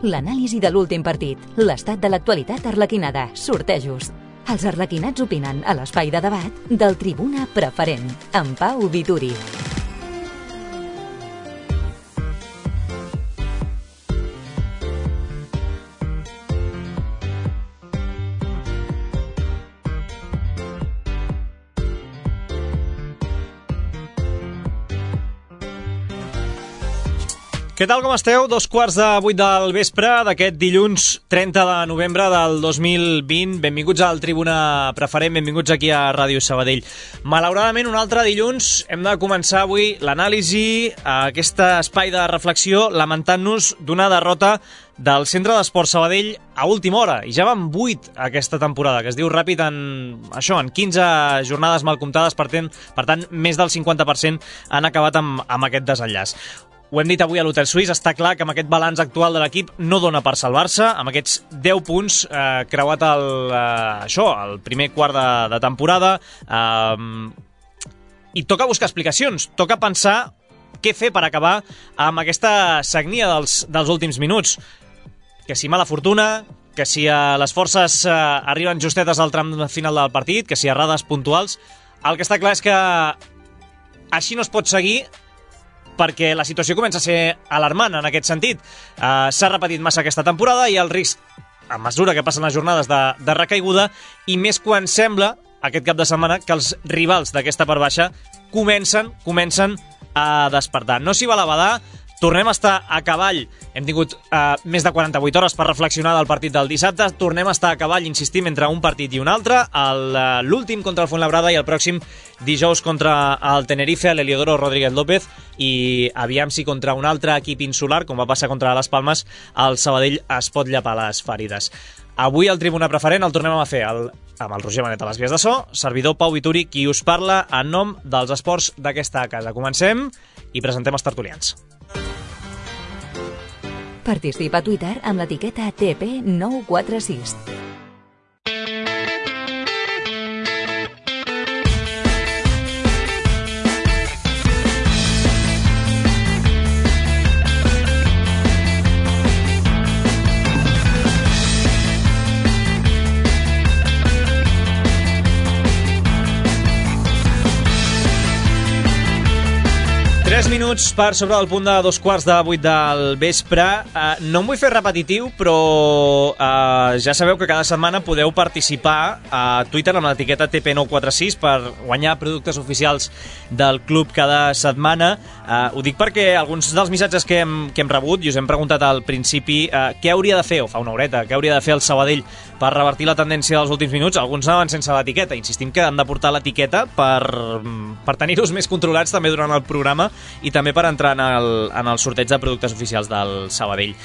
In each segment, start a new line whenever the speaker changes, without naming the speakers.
l'anàlisi de l'últim partit, l'estat de l'actualitat arlequinada, sortejos. Els arlequinats opinen a l'espai de debat del Tribuna Preferent, amb Pau Vituri.
Què tal, com esteu? 7:45 del vespre d'aquest dilluns 30 de novembre del 2020. Benvinguts al Tribuna Preferent, benvinguts aquí a Ràdio Sabadell. Malauradament, un altre dilluns hem de començar avui l'anàlisi a aquest espai de reflexió lamentant-nos d'una derrota del Centre d'Esport Sabadell a última hora. I ja van 8 aquesta temporada, que es diu ràpid en 15 jornades mal comptades, per tant, més del 50% han acabat amb aquest desenllaç. Ho hem dit avui a l'Hotel Suís, està clar que amb aquest balanç actual de l'equip no dona per salvar-se, amb aquests 10 punts creuat el primer quart de temporada, i toca buscar explicacions, toca pensar què fer per acabar amb aquesta sagnia dels últims minuts. Que si mala fortuna, que si les forces arriben justetes al tram final del partit, que si errades puntuals. El que està clar és que així no es pot seguir, perquè la situació comença a ser alarmant en aquest sentit. S'ha repetit massa aquesta temporada i el risc, a mesura que passen les jornades, de recaiguda, i més quan sembla, aquest cap de setmana, que els rivals d'aquesta part baixa comencen a despertar. No s'hi val a badar, tornem a estar a cavall. Hem tingut més de 48 hores per reflexionar del partit del dissabte. Tornem a estar a cavall, insistim, entre un partit i un altre. L'últim contra el Fuenlabrada i el pròxim dijous contra el Tenerife, a l'Heliodoro Rodríguez López. I aviam si contra un altre equip insular, com va passar contra les Palmes, el Sabadell es pot llapar les ferides. Avui el Tribuna Preferent el tornem a fer amb el Roger Manet a les vies de so, servidor Pau Vituri, qui us parla en nom dels esports d'aquesta casa. Comencem i presentem els tertulians.
Participa a Twitter amb l'etiqueta TP946.
Minuts per sobre del punt de 7:45 del vespre. No em vull fer repetitiu, però ja sabeu que cada setmana podeu participar a Twitter amb l'etiqueta TP946 per guanyar productes oficials del club cada setmana. Ho dic perquè alguns dels missatges que hem rebut i us hem preguntat al principi què hauria de fer, o fa una horeta, què hauria de fer el Sabadell per revertir la tendència dels últims minuts. Alguns anaven sense l'etiqueta. Insistim que han de portar l'etiqueta per tenir-los més controlats també durant el programa i també per entrar en el sorteig de productes oficials del Sabadell.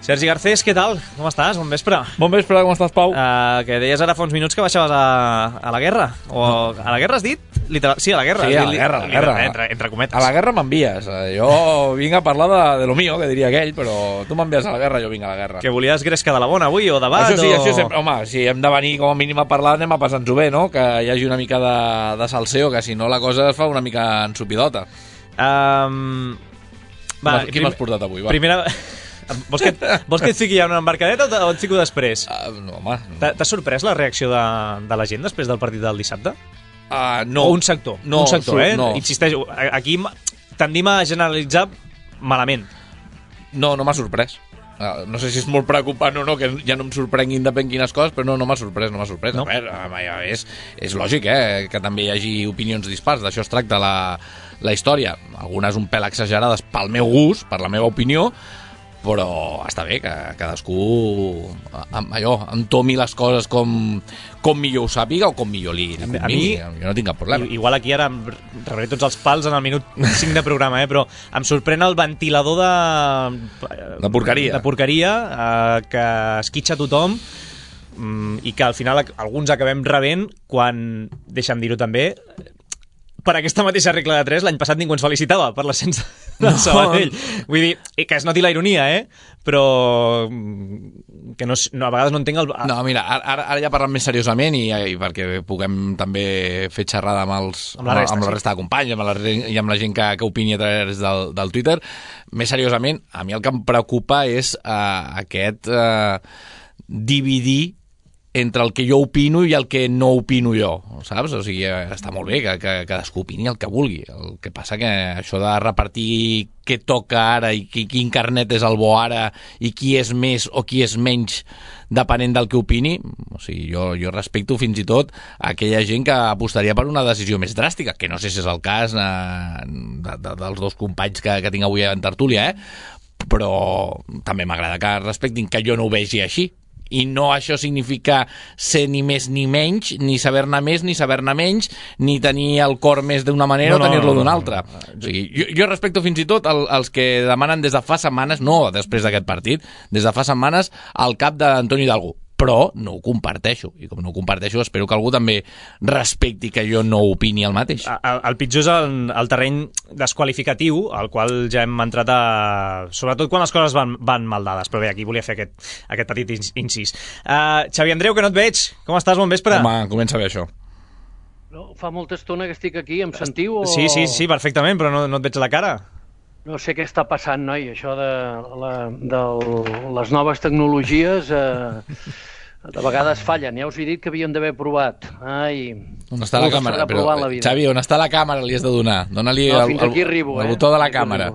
Sergi Garcés, què tal? Com estàs? Bon vespre.
Bon vespre, com estàs, Pau?
Que deies ara fa uns minuts que baixaves a la guerra. O a la guerra has dit? Sí, a la guerra.
Sí, a la guerra.
Entre cometes.
A la guerra m'envies. Jo vinc a parlar de lo mío, que diria aquell, però tu m'envies a la guerra, jo vinc a la guerra.
Que volies gresca de la bona avui, o debat?
Això sempre. Home, si hem de venir com a mínim a parlar, anem a passar-nos-ho bé, no? Que hi hagi una mica de salseo, que si no la cosa es fa una mica ensupidota. Qui m'has portat avui? Va.
Primera... Vols que et fiqui ja una embarcadeta o et fico després?
No, home.
T'ha sorprès la reacció de la gent després del partit del dissabte?
No.
O un sector?
No,
un sector,
no.
Insisteixo, aquí tendim a generalitzar malament.
No m'ha sorprès. No sé si és molt preocupant o no, que ja no em sorprenguin depèn quines coses, però no m'ha sorprès. No? A veure, és lògic, que també hi hagi opinions dispars. D'això es tracta la història. Algunes un pèl exagerades pel meu gust, per la meva opinió, però està bé que cadascú entomi les coses com millor ho sàpiga o com millor li convingui. Jo no tinc cap problema.
Igual aquí ara em rebré tots els pals en el minut 5 de programa, però em sorprèn el ventilador
de
porqueria que esquitxa tothom i que al final alguns acabem rebent quan, deixa'm dir-ho també, per aquesta mateixa regla de 3, l'any passat ningú ens felicitava per l'ascens del Sabadell. Vull dir, que es noti la ironia, però que no, a vegades no entenc el...
No, mira, ara ja parlant més seriosament i perquè puguem també fer xerrada amb la resta de companys i amb la gent que opini a través del Twitter, més seriosament, a mi el que em preocupa és aquest dividir entre el que jo opino i el que no opino jo, saps? O sigui, està molt bé que cadascú opini el que vulgui. El que passa que això de repartir què toca ara i quin carnet és el bo ara i qui és més o qui és menys depenent del que opini, o sigui, jo respecto fins i tot aquella gent que apostaria per una decisió més dràstica, que no sé si és el cas dels dos companys que tinc avui en tertúlia, però també m'agrada que respectin que jo no ho vegi així. I no això significa ser ni més ni menys, ni saber-ne més ni saber-ne menys, ni tenir el cor més d'una manera o tenir-lo d'una altra. O sigui, jo respecto fins i tot els que demanen des de fa setmanes, no després d'aquest partit, des de fa setmanes el cap d'Antoni Hidalgo, però no ho comparteixo, i com no ho comparteixo espero que algú també respecti que jo no opini el mateix.
El pitjor és el terreny desqualificatiu, al qual ja hem entrat sobretot quan les coses van mal dades, però bé, aquí volia fer aquest petit incís. Xavi Andreu, que no et veig, com estàs? Bon vespre.
Home, comença bé això.
No, fa molta estona que estic aquí, em sentiu?
Sí, perfectament, però no et veig la cara.
No sé què està passant, noi, això de les noves tecnologies de vegades fallen. Ja us he dit que havíem d'haver provat. Ai,
on està la càmera? Però, Xavi, on està la càmera li has de donar? Dóna-li el botó de la càmera.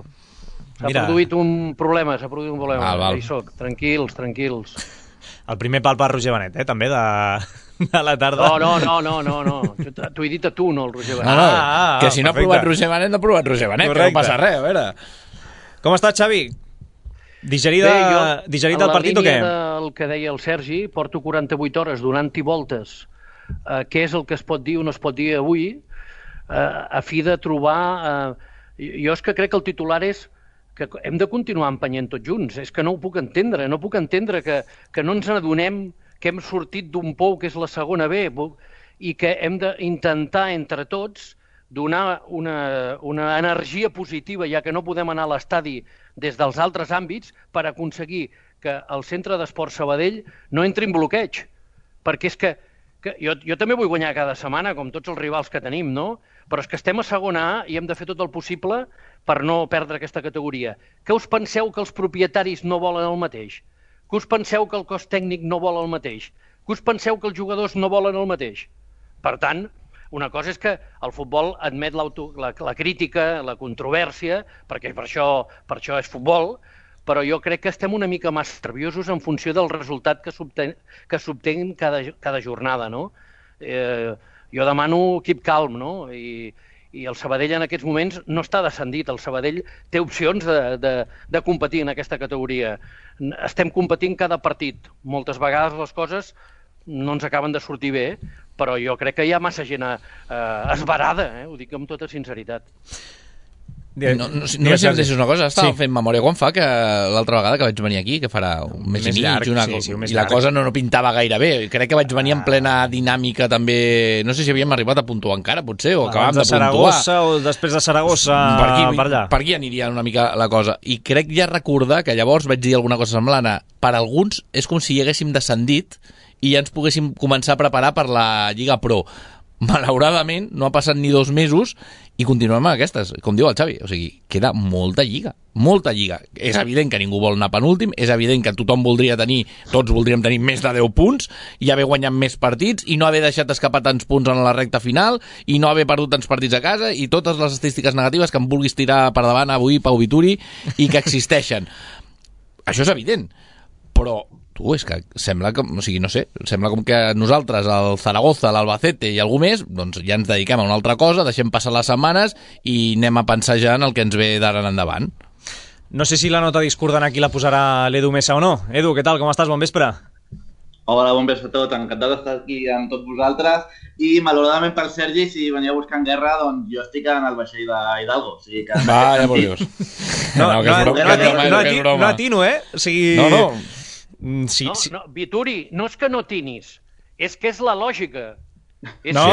S'ha produït un problema.
Val.
Hi soc, tranquils.
El primer pal per Roger Benet, també, de la tarda.
No. T'ho he dit a tu, no al Roger Benet.
No, que si no ha provat Roger Benet, no ha provat Roger Benet, que no passa res, a veure.
Com estàs, Xavi? Digerit el partit o què?
En la línia del que deia el Sergi, porto 48 hores donant-hi voltes què és el que es pot dir o no es pot dir avui, a fi de trobar... Jo és que crec que el titular és que hem de continuar empenyent tots junts. És que no ho puc entendre. No puc entendre que no ens adonem que hem sortit d'un pou que és la segona B i que hem d'intentar entre tots donar una energia positiva, ja que no podem anar a l'estadi des dels altres àmbits, per aconseguir que el centre d'esport Sabadell no entri en bloqueig. Perquè és que jo també vull guanyar cada setmana, com tots els rivals que tenim, no? Però és que estem a segona A i hem de fer tot el possible per no perdre aquesta categoria. Què us penseu que els propietaris no volen el mateix? Que us penseu que el cos tècnic no vol el mateix? Que us penseu que els jugadors no volen el mateix? Per tant, una cosa és que el futbol admet la crítica, la controvèrsia, perquè per això és futbol, però jo crec que estem una mica massa nerviosos en funció del resultat que s'obté cada jornada, no? Jo demano keep calm, no? I el Sabadell en aquests moments no està descendit. El Sabadell té opcions de competir en aquesta categoria. Estem competint cada partit. Moltes vegades les coses no ens acaben de sortir bé, però jo crec que hi ha massa gent esverada, ho dic amb tota sinceritat.
No sé si em deixes una cosa, estava fent memòria quan fa que l'altra vegada que vaig venir aquí, que farà un mes i mig, i la cosa no pintava gaire bé. Crec que vaig venir en plena dinàmica també, no sé si havíem arribat a puntuar encara, potser, o acabàvem de puntuar.
Saragossa o després de Saragossa, per allà.
Per aquí aniria una mica la cosa. I crec ja recordar que llavors vaig dir alguna cosa semblant. Per alguns és com si hi haguéssim descendit i ja ens poguéssim començar a preparar per la Lliga Pro. Malauradament, no ha passat ni 2 mesos i continuem amb aquestes, com diu el Xavi. O sigui, queda molta lliga. És evident que ningú vol anar penúltim, és evident que tothom tots voldríem tenir més de 10 punts i haver guanyat més partits i no haver deixat escapar tants punts en la recta final i no haver perdut tants partits a casa i totes les estadístiques negatives que em vulguis tirar per davant avui, Pau Vituri, i que existeixen. Això és evident, però és que sembla que, o sigui, no sé, sembla com que nosaltres, el Zaragoza, l'Albacete i algú més, doncs ja ens dediquem a una altra cosa, deixem passar les setmanes i anem a pensar ja en el que ens ve d'ara en endavant.
No sé si la nota discordant aquí la posarà l'Edu Mesa o no. Edu, què tal? Com estàs? Bon vespre.
Hola, bon vespre a tots. Encantat d'estar aquí amb tots vosaltres. I, malauradament per Sergi, si venia buscant guerra, doncs jo estic en el vaixell d'Hidalgo. O sigui que...
Va, ja por Dios.
No atino, O sigui...
No, Vituri, no és que no tinis, és que és la lògica.
No,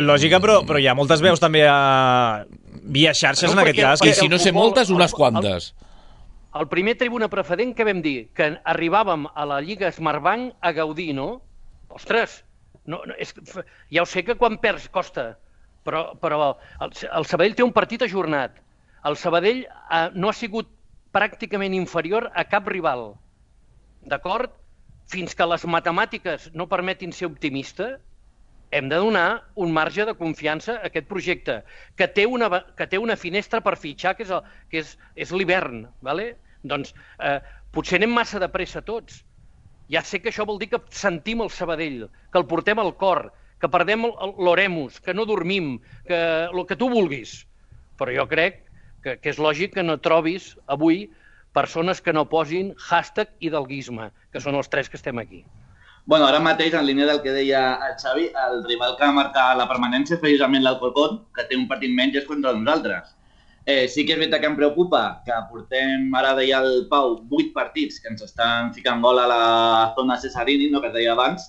lògica, però hi ha moltes veus també via xarxes en aquest cas.
I si no sé moltes, unes quantes.
El primer tribuna preferent que vam dir, que arribàvem a la Lliga Smartbank a gaudir, no? Ostres, ja ho sé que quan perds costa, però el Sabadell té un partit ajornat. El Sabadell no ha sigut pràcticament inferior a cap rival, d'acord? Fins que les matemàtiques no permetin ser optimista, hem de donar un marge de confiança a aquest projecte, que té una finestra per fitxar, que és l'hivern, ¿vale? Doncs potser anem massa de pressa tots. Ja sé que això vol dir que sentim el Sabadell, que el portem al cor, que perdem l'oremus, que no dormim, que el que tu vulguis. Però jo crec que és lògic que no trobis avui persones que no posin hashtag hidalguisme, que són els tres que estem aquí.
Bueno, ara mateix, en línia del que deia el Xavi, el rival que va marcar la permanència és precisament l'Alcorcón, que té un partit menys és contra nosaltres. Sí que és veritat que em preocupa que portem, ara deia el Pau, 8 partits que ens estan ficant gol a la zona Cesarini, no, que es deia abans,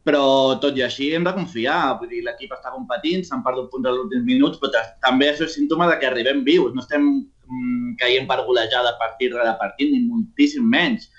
però tot i així hem de confiar. Vull dir, l'equip està competint, s'han perdut punts als últims minuts, però també això és símptoma de que arribem vius. No estem caient per golejada partit rere partit, ni moltíssim menys.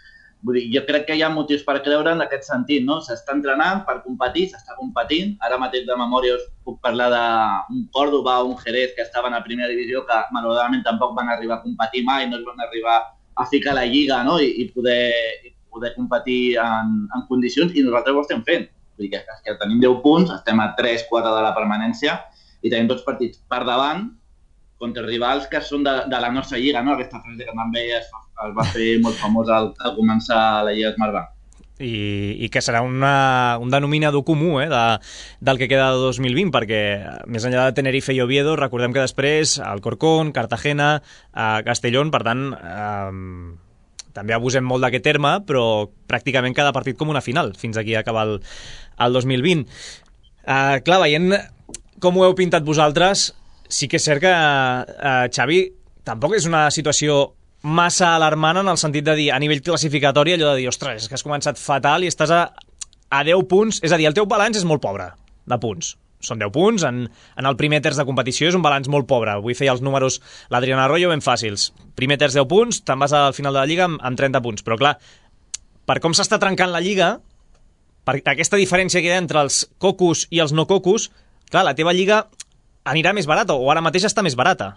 Vull dir, jo crec que hi ha motius per creure en aquest sentit, no? S'està entrenant per competir, s'està competint. Ara mateix de memòria us puc parlar d'un Córdoba o un Jerez que estaven a primera divisió, que malauradament tampoc van arribar a competir mai, no es van arribar a ficar a la lliga, no? I poder competir en condicions, i nosaltres ho estem fent. Vull dir que tenim 10 punts, estem a 3-4 de la permanència i tenim tots partits per davant contra rivals que són de la nostra lliga, no? Aquesta frase que també es va fer molt famosa al començar la Lliga Smartbank.
I que serà un denominador comú del que queda de 2020, perquè més enllà de Tenerife i Oviedo, recordem que després Alcorcón, Cartagena, Castellón, per tant, també abusem molt d'aquest terme, però pràcticament cada partit com una final, fins aquí acaba el 2020. Clar, veient com ho heu pintat vosaltres, sí que és cert que, Xavi, tampoc és una situació massa alarmant en el sentit de dir, a nivell classificatori, allò de dir, ostres, és que has començat fatal i estàs a 10 punts, és a dir, el teu balanç és molt pobre de punts. Són 10 punts, en el primer terç de competició és un balanç molt pobre. Avui feia els números l'Adrián Arroyo ben fàcils. Primer terç 10 punts, te'n vas al final de la Lliga amb 30 punts. Però clar, per com s'està trencant la Lliga, per aquesta diferència que hi ha entre els cocos i els no cocos, clar, la teva Lliga anirà més barata, o ara mateix està més barata.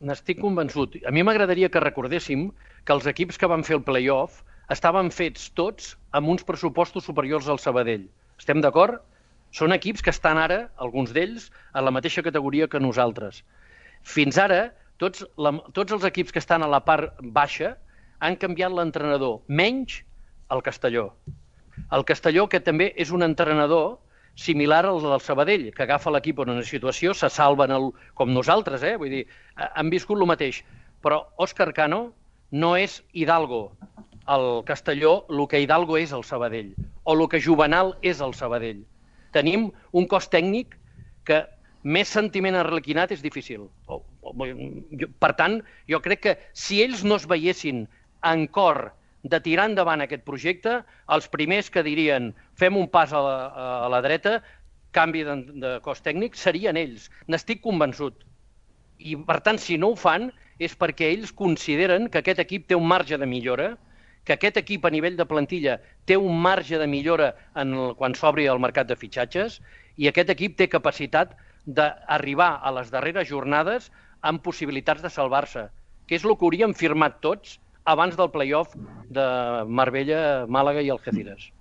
N'estic convençut. A mi m'agradaria que recordéssim que els equips que van fer el play-off estaven fets tots amb uns pressupostos superiors al Sabadell. Estem d'acord? Són equips que estan ara, alguns d'ells, a la mateixa categoria que nosaltres. Fins ara, tots els equips que estan a la part baixa han canviat l'entrenador, menys el Castelló. El Castelló, que també és un entrenador similar al del Sabadell, que agafa l'equip en una situació, se salven com nosaltres, vull dir, han viscut el mateix. Però Òscar Cano no és Hidalgo, el Castelló, el que Hidalgo és el Sabadell, o el que Juvenal és el Sabadell. Tenim un cos tècnic que més sentiment arlequinat és difícil. Per tant, jo crec que si ells no es veiessin en cor de tirar endavant aquest projecte, els primers que dirien fem un pas a la dreta, canvi de cos tècnic, serien ells. N'estic convençut. I, per tant, si no ho fan, és perquè ells consideren que aquest equip té un marge de millora, que aquest equip a nivell de plantilla té un marge de millora quan s'obri el mercat de fitxatges, i aquest equip té capacitat d'arribar a les darreres jornades amb possibilitats de salvar-se, que és el que hauríem firmat tots abans del play-off de Marbella, Màlaga i Algeciras.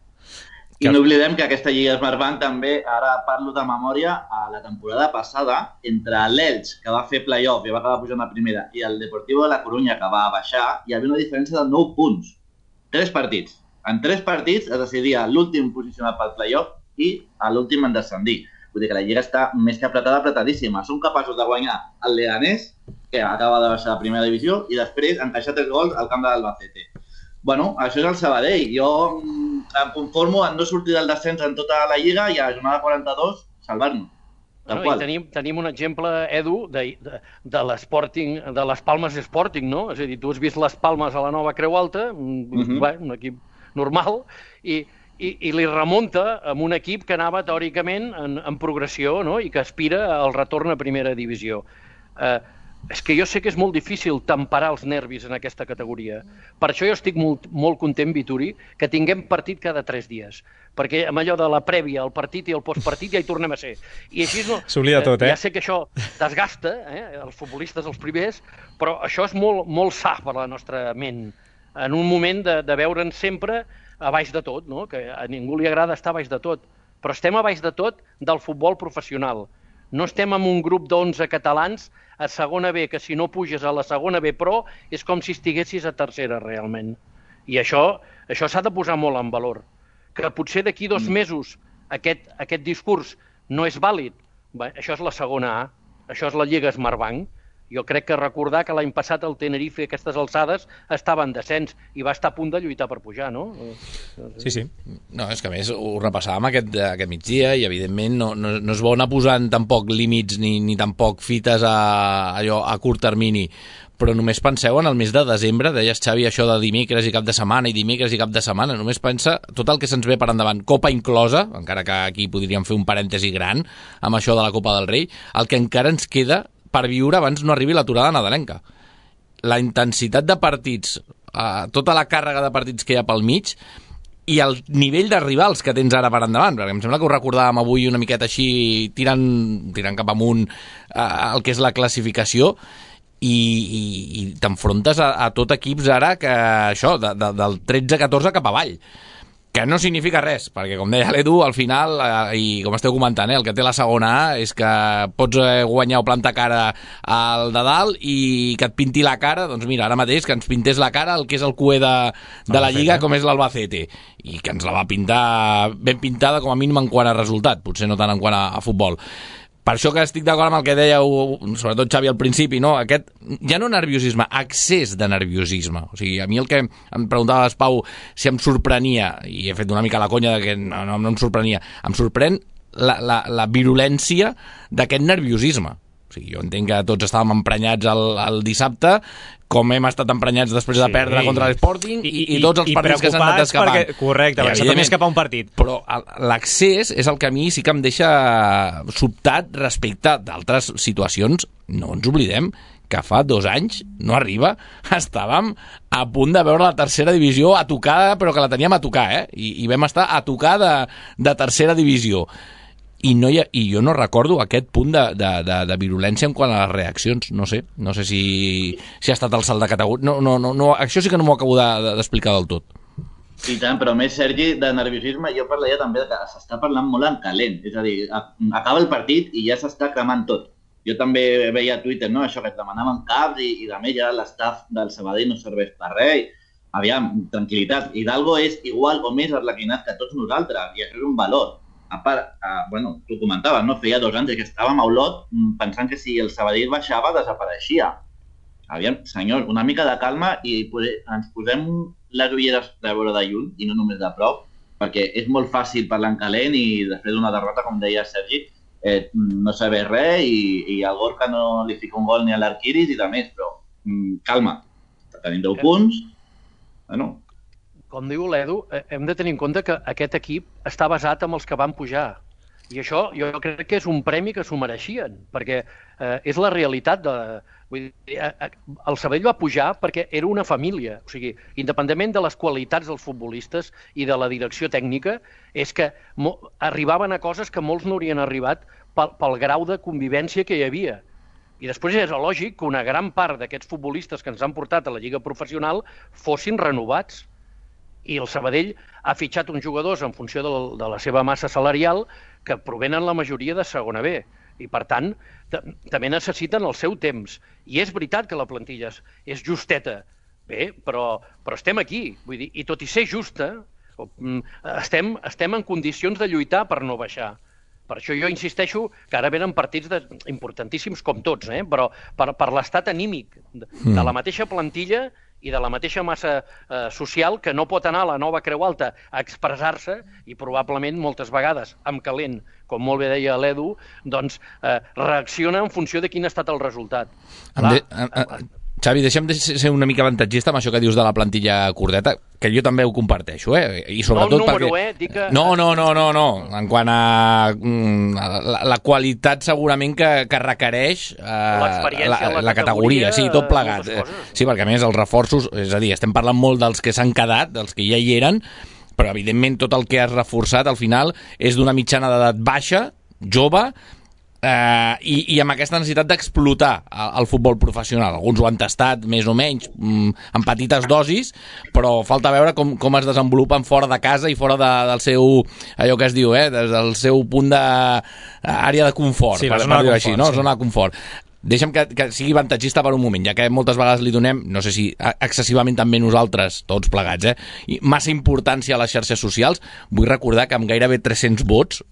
I no oblidem que aquesta Lliga Smartbank també, ara parlo de memòria, a la temporada passada, entre l'Elx, que va fer play-off i va acabar pujant a primera, i el Deportivo de la Corunya, que va baixar, hi havia una diferència de 9 punts. 3 partits. En 3 partits es decidia l'últim posicionat pel play-off i l'últim en descendir. Vull dir que la Lliga està més que apretadíssima. Són capaços de guanyar el Leganés, que acaba de baixar a primera divisió, i després encaixar 3 gols al camp de l'Albacete. Bueno, això és el Sabadell. Jo em conformo en no sortir del descens en tota la Lliga i a la jornada 42 salvar-nos.
Tenim un exemple, Edu, de l'Sporting, de les Palmes Sporting, no? És a dir, tu has vist les Palmes a la nova Creu Alta, un equip normal, i i li remunta amb un equip que anava teòricament en progressió, no? I que aspira al retorn a primera divisió. És que jo sé que és molt difícil temperar els nervis en aquesta categoria. Per això jo estic molt content, Vituri, que tinguem partit cada 3 dies. Perquè amb allò de la prèvia, el partit i el postpartit ja hi tornem a ser. I així no...
S'oblida tot,
Ja sé que això desgasta, els futbolistes els primers, però això és molt sa per la nostra ment. En un moment de veure'ns sempre a baix de tot, no? Que a ningú li agrada estar a baix de tot. Però estem a baix de tot del futbol professional. No estem en un grup d'11 catalans a segona B, que si no puges a la segona B Pro és com si estiguessis a tercera realment. I això s'ha de posar molt en valor. Que potser d'aquí 2 mesos aquest discurs no és vàlid. Bé, això és la segona A, això és la Lliga Smartbank. Jo crec que recordar que l'any passat el Tenerife a aquestes alçades estava en descens i va estar a punt de lluitar per pujar, no?
Sí.
No, és que a més ho repassàvem aquest migdia i evidentment no és bo anar posant tampoc límits ni tampoc fites a curt termini, però només penseu en el mes de desembre, deies, Xavi, això de dimecres i cap de setmana i dimecres i cap de setmana, només pensa tot el que se'ns ve per endavant, Copa inclosa, encara que aquí podríem fer un parèntesi gran amb això de la Copa del Rei, el que encara ens queda per viure abans no arribi l'aturada nadalenca. La intensitat de partits, tota la càrrega de partits que hi ha pel mig i el nivell de rivals que tens ara per endavant, perquè em sembla que ho recordàvem avui una miqueta així, tirant cap amunt el que és la classificació, i t'enfrontes a tot equips ara que això, del 13-14 cap avall, que no significa res, perquè com deia l'Edu, al final, i com esteu comentant, el que té la segona A és que pots guanyar o plantar cara al de dalt i que et pinti la cara, doncs mira, ara mateix que ens pintés la cara el que és el cué de la Lliga, com és l'Albacete, i que ens la va pintar ben pintada com a mínim en quant a resultat, potser no tant en quant a futbol. Per això que estic d'acord amb el que dèieu, sobretot Xavi al principi, no? Aquest, ja no nerviosisme, excés de nerviosisme. O sigui, a mi el que em preguntava l'Espau si em sorprenia, i he fet una mica la conya de que no em sorprenia, em sorprèn la virulència d'aquest nerviosisme. O sigui, jo entenc que tots estàvem emprenyats el dissabte, com hem estat emprenyats després de perdre contra l'Sporting i tots els partits que s'han anat escapant.
Perquè, correcte, perquè s'ha també escapar un partit.
Però l'accés és el que a mi sí que em deixa sobtat respecte d'altres situacions. No ens oblidem que fa 2 anys, no arriba, estàvem a punt de veure la tercera divisió a tocar, però que la teníem a tocar, i vam estar a tocar de tercera divisió. I jo no recordo aquest punt de virulència en quant a les reaccions. No sé si ha estat el salt de categoria. No, això sí que no m'ho acabo d'explicar del tot.
I tant, però més, Sergi, de nerviosisme, jo parlaria també que s'està parlant molt en calent. És a dir, acaba el partit i ja s'està cremant tot. Jo també veia a Twitter, no?, això que et demanaven caps i de més ja l'estaf del Sabadell no serveix per res. Aviam, tranquil·litat. Hidalgo és igual o més arlequinat que tots nosaltres i això és un valor. A part, tu comentaves, no? Feia 2 anys que estàvem a Olot pensant que si el Sabadell baixava desapareixia. Aviam, senyor, una mica de calma i ens posem les ulleres de veure de lluny i no només de prop, perquè és molt fàcil parlar en calent i després d'una derrota, com deia Sergi, no saber res i al Gorka no li fica un gol ni a l'Arquiris i de més, però calma, tenim 10 punts, bueno...
Com diu l'Edu, hem de tenir en compte que aquest equip està basat en els que van pujar. I això jo crec que és un premi que s'ho mereixien, perquè és la realitat. Vull dir, el Sabadell va pujar perquè era una família. O sigui, independentment de les qualitats dels futbolistes i de la direcció tècnica, és que arribaven a coses que molts no haurien arribat pel grau de convivència que hi havia. I després és lògic que una gran part d'aquests futbolistes que ens han portat a la Lliga Professional fossin renovats. I el Sabadell ha fitxat uns jugadors en funció de la seva massa salarial que provenen la majoria de segona B. I, per tant, també necessiten el seu temps. I és veritat que la plantilla és justeta. Bé, però estem aquí. Vull dir, i tot i ser justa, estem en condicions de lluitar per no baixar. Per això jo insisteixo que ara venen partits importantíssims com tots, però per l'estat anímic de la mateixa plantilla i de la mateixa massa social que no pot anar a la nova Creu Alta a expressar-se i probablement moltes vegades, amb calent, com molt bé deia l'Edu, doncs reacciona en funció de quin ha estat el resultat.
Xavi, deixa'm de ser una mica avantatgista amb això que dius de la plantilla curteta. que jo també ho comparteixo, i sobretot
no el número,
perquè...
Dic que...
No. En quant a la qualitat segurament que requeix la categoria, sí, tot plegat. Sí, perquè a més els reforços, és a dir, estem parlant molt dels que s'han quedat, dels que ja hi eren, però evidentment tot el que has reforçat al final és d'una mitjana d'edat baixa, jove, i amb aquesta necessitat d'explotar el futbol professional. Alguns ho han tastat més o menys en petites dosis, però falta veure com es desenvolupen fora de casa i fora del seu, allò que es diu, des del seu punt d'àrea de confort,
sí,
per dir-ho així, no? Zona de confort. Deixa'm que sigui avantatgista per un moment, ja que moltes vegades li donem, no sé si excessivament també nosaltres, tots plegats, massa importància a les xarxes socials. Vull recordar que amb gairebé 300 vots,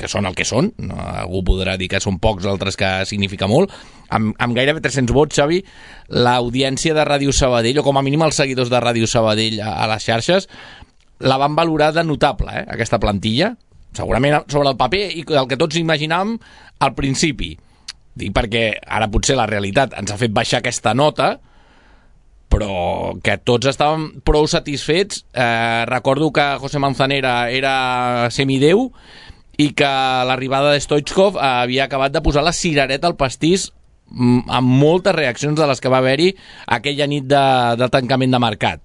que són el que són, no, algú podrà dir que són pocs, altres que significa molt, amb gairebé 300 vots, Xavi, l'audiència de Ràdio Sabadell, o com a mínim els seguidors de Ràdio Sabadell a les xarxes, la van valorar de notable, aquesta plantilla, segurament sobre el paper, i el que tots imaginàvem al principi. Dic perquè ara potser la realitat ens ha fet baixar aquesta nota, però que tots estàvem prou satisfets. Recordo que José Manzanera era semideu i que l'arribada de Stoichkov havia acabat de posar la cirereta al pastís amb moltes reaccions de les que va haver-hi aquella nit de tancament de mercat.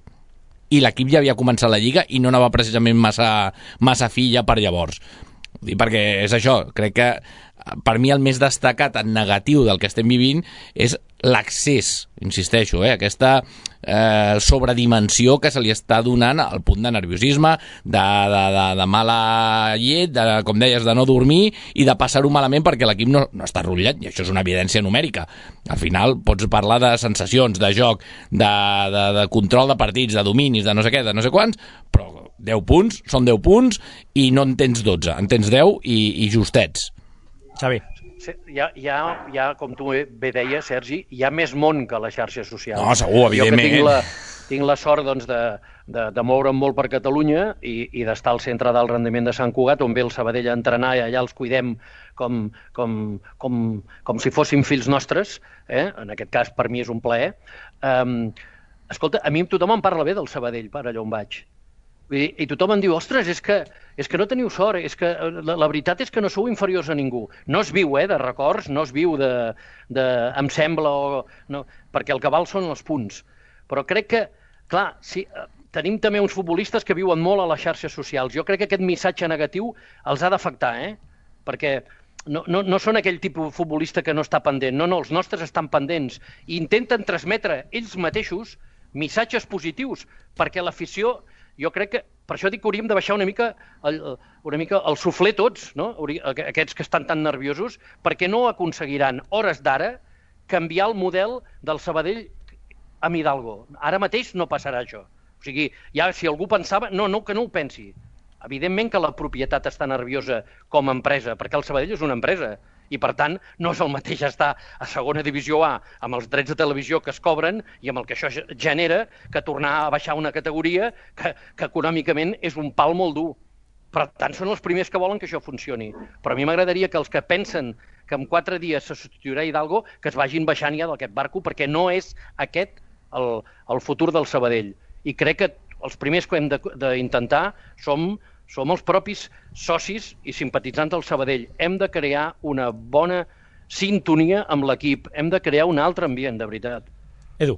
I l'equip ja havia començat la Lliga i no anava precisament massa fi ja per llavors. Perquè és això, crec que per mi el més destacat en negatiu del que estem vivint és l'accés, insisteixo, aquesta sobredimensió que se li està donant al punt de nerviosisme, de mala llet, com deies, de no dormir i de passar-ho malament perquè l'equip no està rotllat, i això és una evidència numèrica. Al final pots parlar de sensacions, de joc, de control de partits, de dominis, de no sé què, de no sé quants, però 10 punts són 10 punts i no en tens 12, en tens 10 i justets.
Xavi.
Hi ha, com tu bé deies, Sergi, hi ha més món que les xarxes socials.
No, segur, evidentment.
Jo que tinc la sort doncs, de moure'm molt per Catalunya i d'estar al centre d'alt rendiment de Sant Cugat, on ve el Sabadell a entrenar i allà els cuidem com si fossin fills nostres, en aquest cas per mi és un plaer. Escolta, a mi tothom em parla bé del Sabadell per allà on vaig. I tothom em diu, ostres, és que no teniu sort, és que la veritat és que no sou inferiors a ningú. No es viu, de records, no es viu em sembla, perquè el que val són els punts. Però crec que, clar, sí, tenim també uns futbolistes que viuen molt a les xarxes socials. Jo crec que aquest missatge negatiu els ha d'afectar, perquè no són aquell tipus de futbolista que no està pendent. No, els nostres estan pendents i intenten transmetre ells mateixos missatges positius, perquè l'afició... Jo crec que, per això dic que hauríem de baixar una mica el suflé tots, no? Aquests que estan tan nerviosos, perquè no aconseguiran, hores d'ara, canviar el model del Sabadell amb Hidalgo. Ara mateix no passarà això. O sigui, ja si algú pensava... No, que no ho pensi. Evidentment que la propietat està nerviosa com a empresa, perquè el Sabadell és una empresa. I, per tant, no és el mateix estar a segona divisió A amb els drets de televisió que es cobren i amb el que això genera que tornar a baixar una categoria que econòmicament és un pal molt dur. Per tant, són els primers que volen que això funcioni. Però a mi m'agradaria que els que pensen que en 4 dies se substituirà Hidalgo, que es vagin baixant ja d'aquest barco, perquè no és aquest el futur del Sabadell. I crec que els primers que hem d'intentar som els propis socis i simpatitzants del Sabadell. Hem de crear una bona sintonia amb l'equip. Hem de crear un altre ambient, de veritat.
Edu.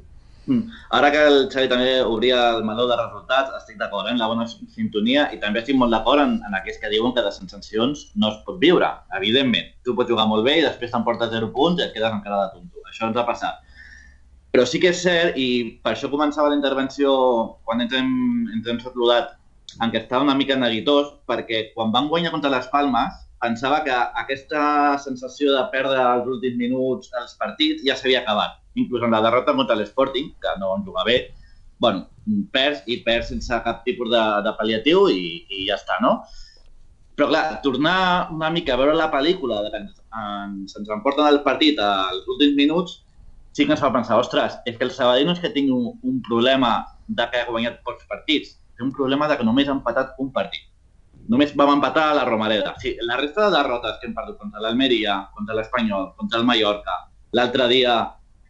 Ara que el Xavi també obria el meló de resultats, estic d'acord en la bona sintonia i també estic molt d'acord en aquells que diuen que de sensacions no es pot viure, evidentment. Tu pots jugar molt bé i després t'emportes 0 punts i et quedes encara de tonto. Això ens ha passat. Però sí que és cert, i per això començava la intervenció quan ens hem saludat, en què estava una mica neguitós, perquè quan van guanyar contra les Palmes pensava que aquesta sensació de perdre els últims minuts els partits ja s'havia acabat. Inclús en la derrota contra l'Sporting, que no en juga bé, perds sense cap tipus de pal·liatiu i ja està, no? Però clar, tornar una mica a veure la pel·lícula que ens emporten el partit als últims minuts sí que ens fa pensar, ostres, és que el Sabadell no és que tingui un problema de que ha guanyat pocs partits, té un problema de que només ha empatat un partit. Només vam empatar a la Romareda. Sí, la resta de derrotes que hem perdut contra l'Almeria, contra l'Espanyol, contra el Mallorca, l'altre dia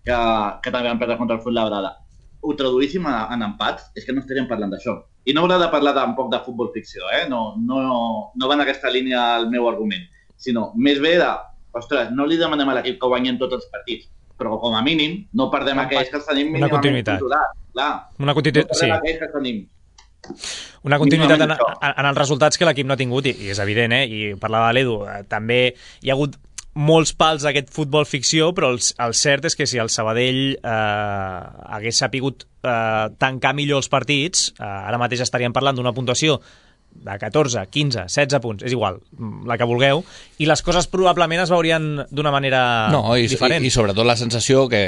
que també vam perdre contra el Fuenlabrada, ho traduíssim en empats, és que no estaríem parlant d'això. I no haurà de parlar tampoc de futbol ficció, no va en aquesta línia el meu argument, sinó més bé de, ostres, no li demanem a l'equip que guanyem tots els partits, però com a mínim no perdem aquells que els tenim mínimament controlats.
Una continuïtat, sí.
Aquells que tenim.
Una continuïtat en els resultats que l'equip no ha tingut, i és evident, i parlava l'Edu, també hi ha hagut molts pals d'aquest futbol ficció, però el cert és que si el Sabadell hagués sapigut tancar millor els partits, ara mateix estaríem parlant d'una puntuació de 14, 15, 16 punts, és igual, la que vulgueu, i les coses probablement es veurien d'una manera diferent.
I sobretot la sensació, que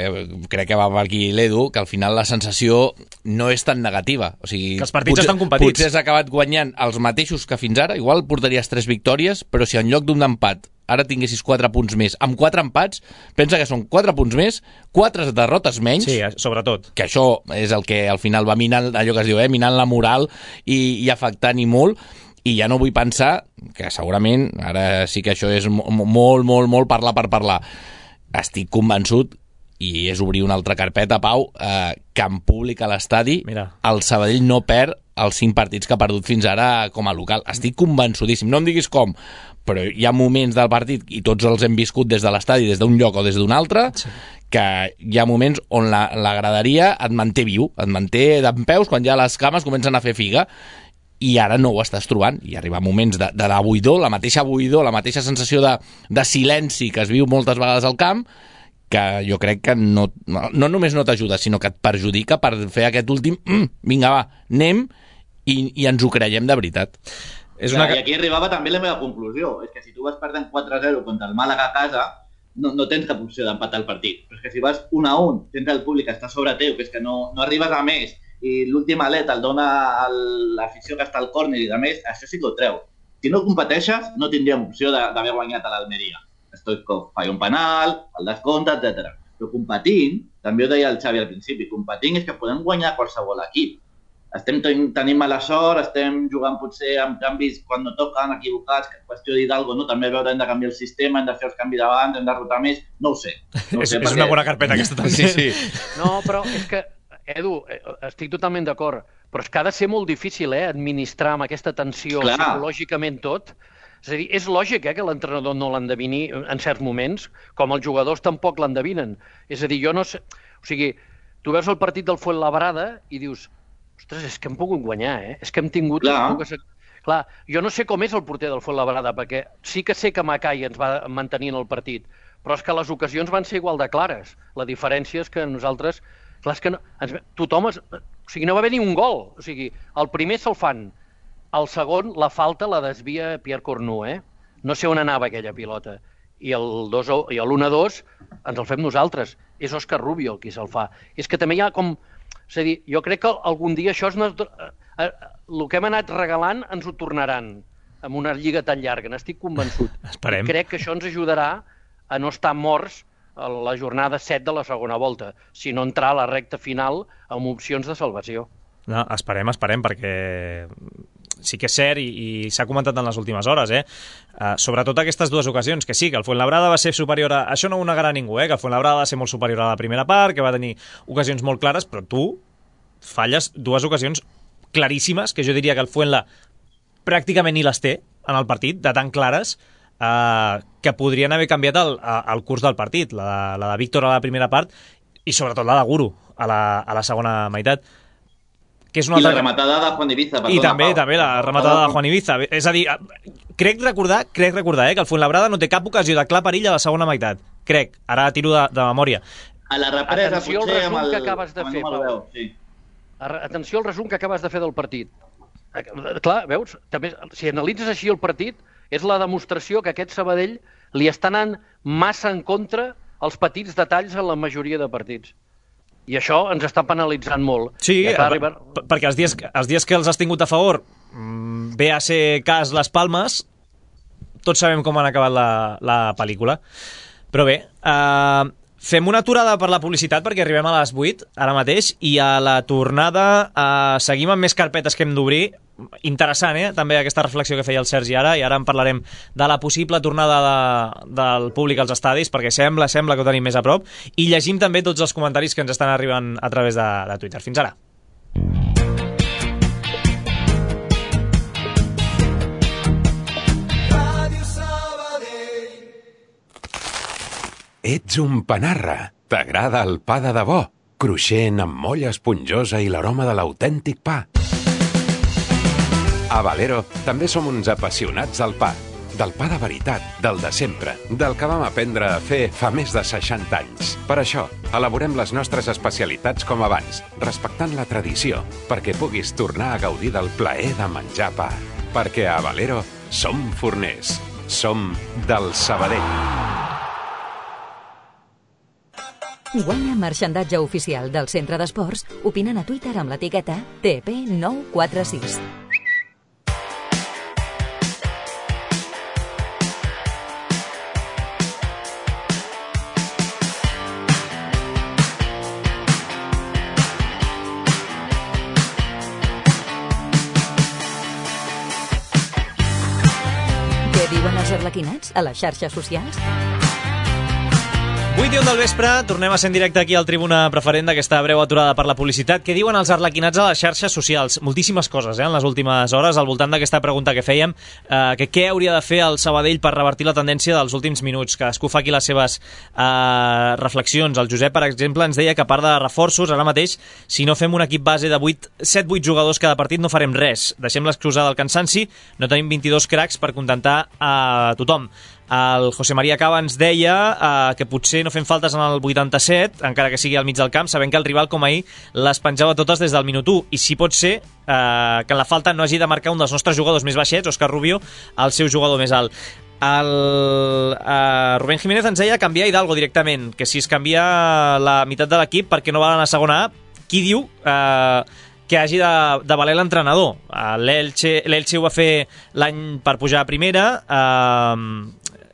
crec que va per aquí l'Edu, que al final la sensació no és tan negativa. O sigui,
que els partits estan competits.
Potser has acabat guanyant els mateixos que fins ara, igual portaries 3 victòries, però si en lloc d'un empat ara tinguessis 4 punts més, amb 4 empats, pensa que són 4 punts més, 4 derrotes menys.
Sí, sobretot.
Que això és el que al final va minant, allò que es diu, minant la moral i afectant-hi molt. I ja no vull pensar, que segurament, ara sí que això és molt parlar per parlar, estic convençut, i és obrir una altra carpeta, Pau, que en públic a l'estadi el Sabadell no perd els 5 partits que ha perdut fins ara com a local. Estic convençudíssim, no em diguis com, però hi ha moments del partit, i tots els hem viscut des de l'estadi, des d'un lloc o des d'un altre, que hi ha moments on la graderia et manté viu, et manté dempeus quan ja les cames comencen a fer figa, i ara no ho estàs trobant, i arriba moments de buidor, la mateixa buidor, la mateixa sensació de silenci que es viu moltes vegades al camp, que jo crec que no només no t'ajuda, sinó que et perjudica per fer aquest últim vinga va, anem i ens ho creiem de veritat.
I aquí arribava també la meva conclusió, és que si tu vas perdent 4-0 contra el Màlaga a casa, no tens cap opció d'empatar el partit, però és que si vas 1-1, tens el públic que està sobre teu, que és que no arribes a més, i l'últim alet el dona l'afició que està al córner i de més, això sí que ho treu. Si no competeixes, no tindríem opció d'haver guanyat a l'Almeria. Stoichkov falla un penal, el descompte, etc. Però competint, també ho deia el Xavi al principi, competint és que podem guanyar qualsevol equip. Tenim mala sort, estem jugant potser amb canvis quan no toquen, equivocats, que qüestió d'Hidalgo, no? També veure, hem de canviar el sistema, hem de fer els canvis abans, hem de rotar més, no ho sé.
És una bona carpeta aquesta també.
Sí.
No, però és que, Edu, estic totalment d'acord, però és que ha de ser molt difícil administrar amb aquesta tensió psicològicament tot. És a dir, és lògic que l'entrenador no l'endevini en certs moments, com els jugadors tampoc l'endevinen. És a dir, jo no sé... O sigui, tu veus el partit del Fuenlabrada i dius, ostres, és que hem pogut guanyar, és que hem tingut... Clar, jo no sé com és el porter del Fuenlabrada, perquè sí que sé que Macai ens va mantenir en el partit, però és que les ocasions van ser igual de clares. La diferència és que nosaltres... Clar, és que tothom... O sigui, no va haver ni un gol. O sigui, el primer se'l fan. El segon, la falta la desvia Pierre Cornu, No sé on anava aquella pilota. I l'1-2 ens el fem nosaltres. És Òscar Rubio qui se'l fa. És que també hi ha com... És a dir, jo crec que algun dia això el que hem anat regalant ens ho tornaran amb una lliga tan llarga, n'estic convençut.
Esperem.
I crec que això ens ajudarà a no estar morts a la jornada 7 de la segona volta, sinó entrar a la recta final amb opcions de salvació.
No, esperem, perquè sí que és cert i s'ha comentat en les últimes hores, sobretot aquestes dues ocasions, que sí, que el Fuenlabrada va ser superior a... Això no ho negarà ningú, que el Fuenlabrada va ser molt superior a la primera part, que va tenir ocasions molt clares, però tu falles dues ocasions claríssimes, que jo diria que el Fuenla pràcticament ni les té en el partit, de tan clares, que podrien haver canviat el curs del partit, la de Víctor a la primera part i sobretot la de Guru a la segona meitat. Que és una
I la rematada de Juan Ibiza.
I també la rematada de Juan Ibiza. És a dir, crec recordar que el Fuenlabrada no té cap ocasió de clar perill a la segona meitat. Crec, ara tiro de memòria.
A la represa,
atenció al resum que acabes de fer, Pau.
Sí.
Atenció al resum que acabes de fer del partit. Clar, veus? També, si analitzes així el partit, és la demostració que aquest Sabadell li està anant massa en contra els petits detalls en la majoria de partits. I això ens està penalitzant molt.
Sí, perquè els dies que els has tingut a favor ve a ser cas les Palmes, tots sabem com han acabat la pel·lícula. Però bé, Fem una aturada per la publicitat perquè arribem a les 8 ara mateix i a la tornada seguim amb més carpetes que hem d'obrir. Interessant, també aquesta reflexió que feia el Sergi ara, i ara en parlarem de la possible tornada del públic als estadis, perquè sembla que ho tenim més a prop, i llegim també tots els comentaris que ens estan arribant a través de Twitter. Fins ara.
Ets un panarra. T'agrada el pa de debò, cruixent amb molla esponjosa i l'aroma de l'autèntic pa. A Valero també som uns apassionats del pa. Del pa de veritat, del de sempre, del que vam aprendre a fer fa més de 60 anys. Per això, elaborem les nostres especialitats com abans, respectant la tradició, perquè puguis tornar a gaudir del plaer de menjar pa. Perquè a Valero som forners. Som del Sabadell.
Guanya marxandatge oficial del Centre d'Esports opinant a Twitter amb l'etiqueta TP946. Què diuen els arlequinats a les xarxes socials?
8:01 del vespre, tornem a ser en directe aquí al Tribuna Preferent d'aquesta breu aturada per la publicitat. Què diuen els arlequinats a les xarxes socials? Moltíssimes coses, en les últimes hores, al voltant d'aquesta pregunta que fèiem, que què hauria de fer el Sabadell per revertir la tendència dels últims minuts. Cadascú fa aquí les seves reflexions. El Josep, per exemple, ens deia que a part de reforços, ara mateix, si no fem un equip base de 7-8 jugadors cada partit, no farem res. Deixem l'excusa del cansanci, no tenim 22 cracs per contentar a tothom. El José María Cava ens deia que potser no fem faltes en el 87, encara que sigui al mig del camp, sabent que el rival, com ahir, les penjava totes des del minut 1. I si pot ser que en la falta no hagi de marcar un dels nostres jugadors més baixets, Òscar Rubio, el seu jugador més alt. El Rubén Jiménez ens deia canviar Hidalgo directament, que si es canvia la meitat de l'equip perquè no va anar a segona A, qui diu que hagi de valer l'entrenador? L'Elche ho va fer l'any per pujar a primera,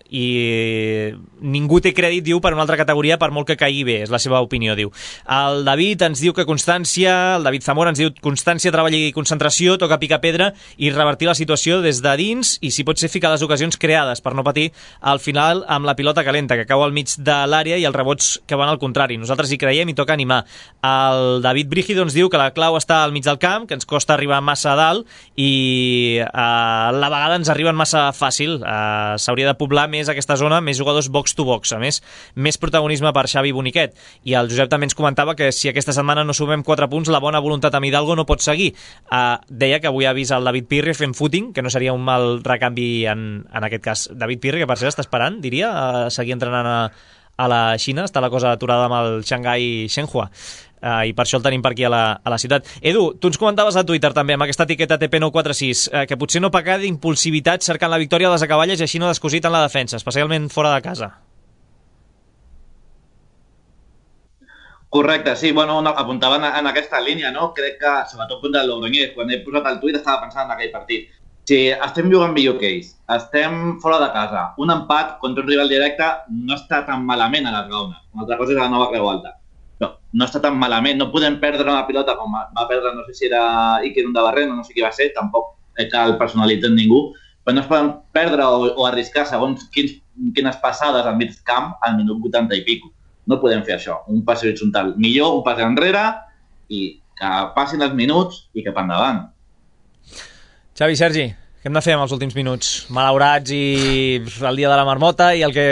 i ningú té crèdit, diu, per una altra categoria, per molt que caigui bé, és la seva opinió, diu. El David ens diu que constància, el David Zamora ens diu constància, treball i concentració, toca picar pedra i revertir la situació des de dins i, si pot ser, ficar les ocasions creades per no patir al final amb la pilota calenta, que cau al mig de l'àrea i els rebots que van al contrari. Nosaltres hi creiem i toca animar. El David Brígido ens diu que la clau està al mig del camp, que ens costa arribar massa a dalt i a la vegada ens arriben massa fàcil. S'hauria de poblar més aquesta zona, més jugadors box to box, a més protagonisme per Xavi Boniquet. I el Josep també ens comentava que si aquesta setmana no sumem 4 punts, la bona voluntat amb Hidalgo no pot seguir. Deia que avui ha vist el David Pirri fent footing, que no seria un mal recanvi en aquest cas. David Pirri, que per cert està esperant, diria, seguir entrenant a la Xina, està la cosa aturada amb el Shanghai Shenhua. I per això el tenim per aquí a la ciutat. Edu, tu ens comentaves a Twitter també amb aquesta etiqueta TP946 que potser no pecar d'impulsivitat cercant la victòria a les acaballes i així no descosit en la defensa, especialment fora de casa.
Correcte, sí, bueno, apuntaven en aquesta línia, no? Crec que, sobretot contra el Logroñés, quan he posat el tuit estava pensant en aquell partit. Si estem jugant millor que ells, estem fora de casa, un empat contra un rival directe no està tan malament a les Gaunes. Una altra cosa és la nova Creu Alta. No està tan malament, no podem perdre una pilota com va perdre, no sé si era Iker Undabarren o no sé qui va ser, tampoc cal personalitzar ningú, però no es poden perdre o arriscar segons quines passades al mig camp al minut 80 i pico. No podem fer això, un pas horitzontal. Millor un pas enrere i que passin els minuts i cap endavant.
Xavi, Sergi, què hem de fer amb els últims minuts? Malaurats i el dia de la marmota i el que...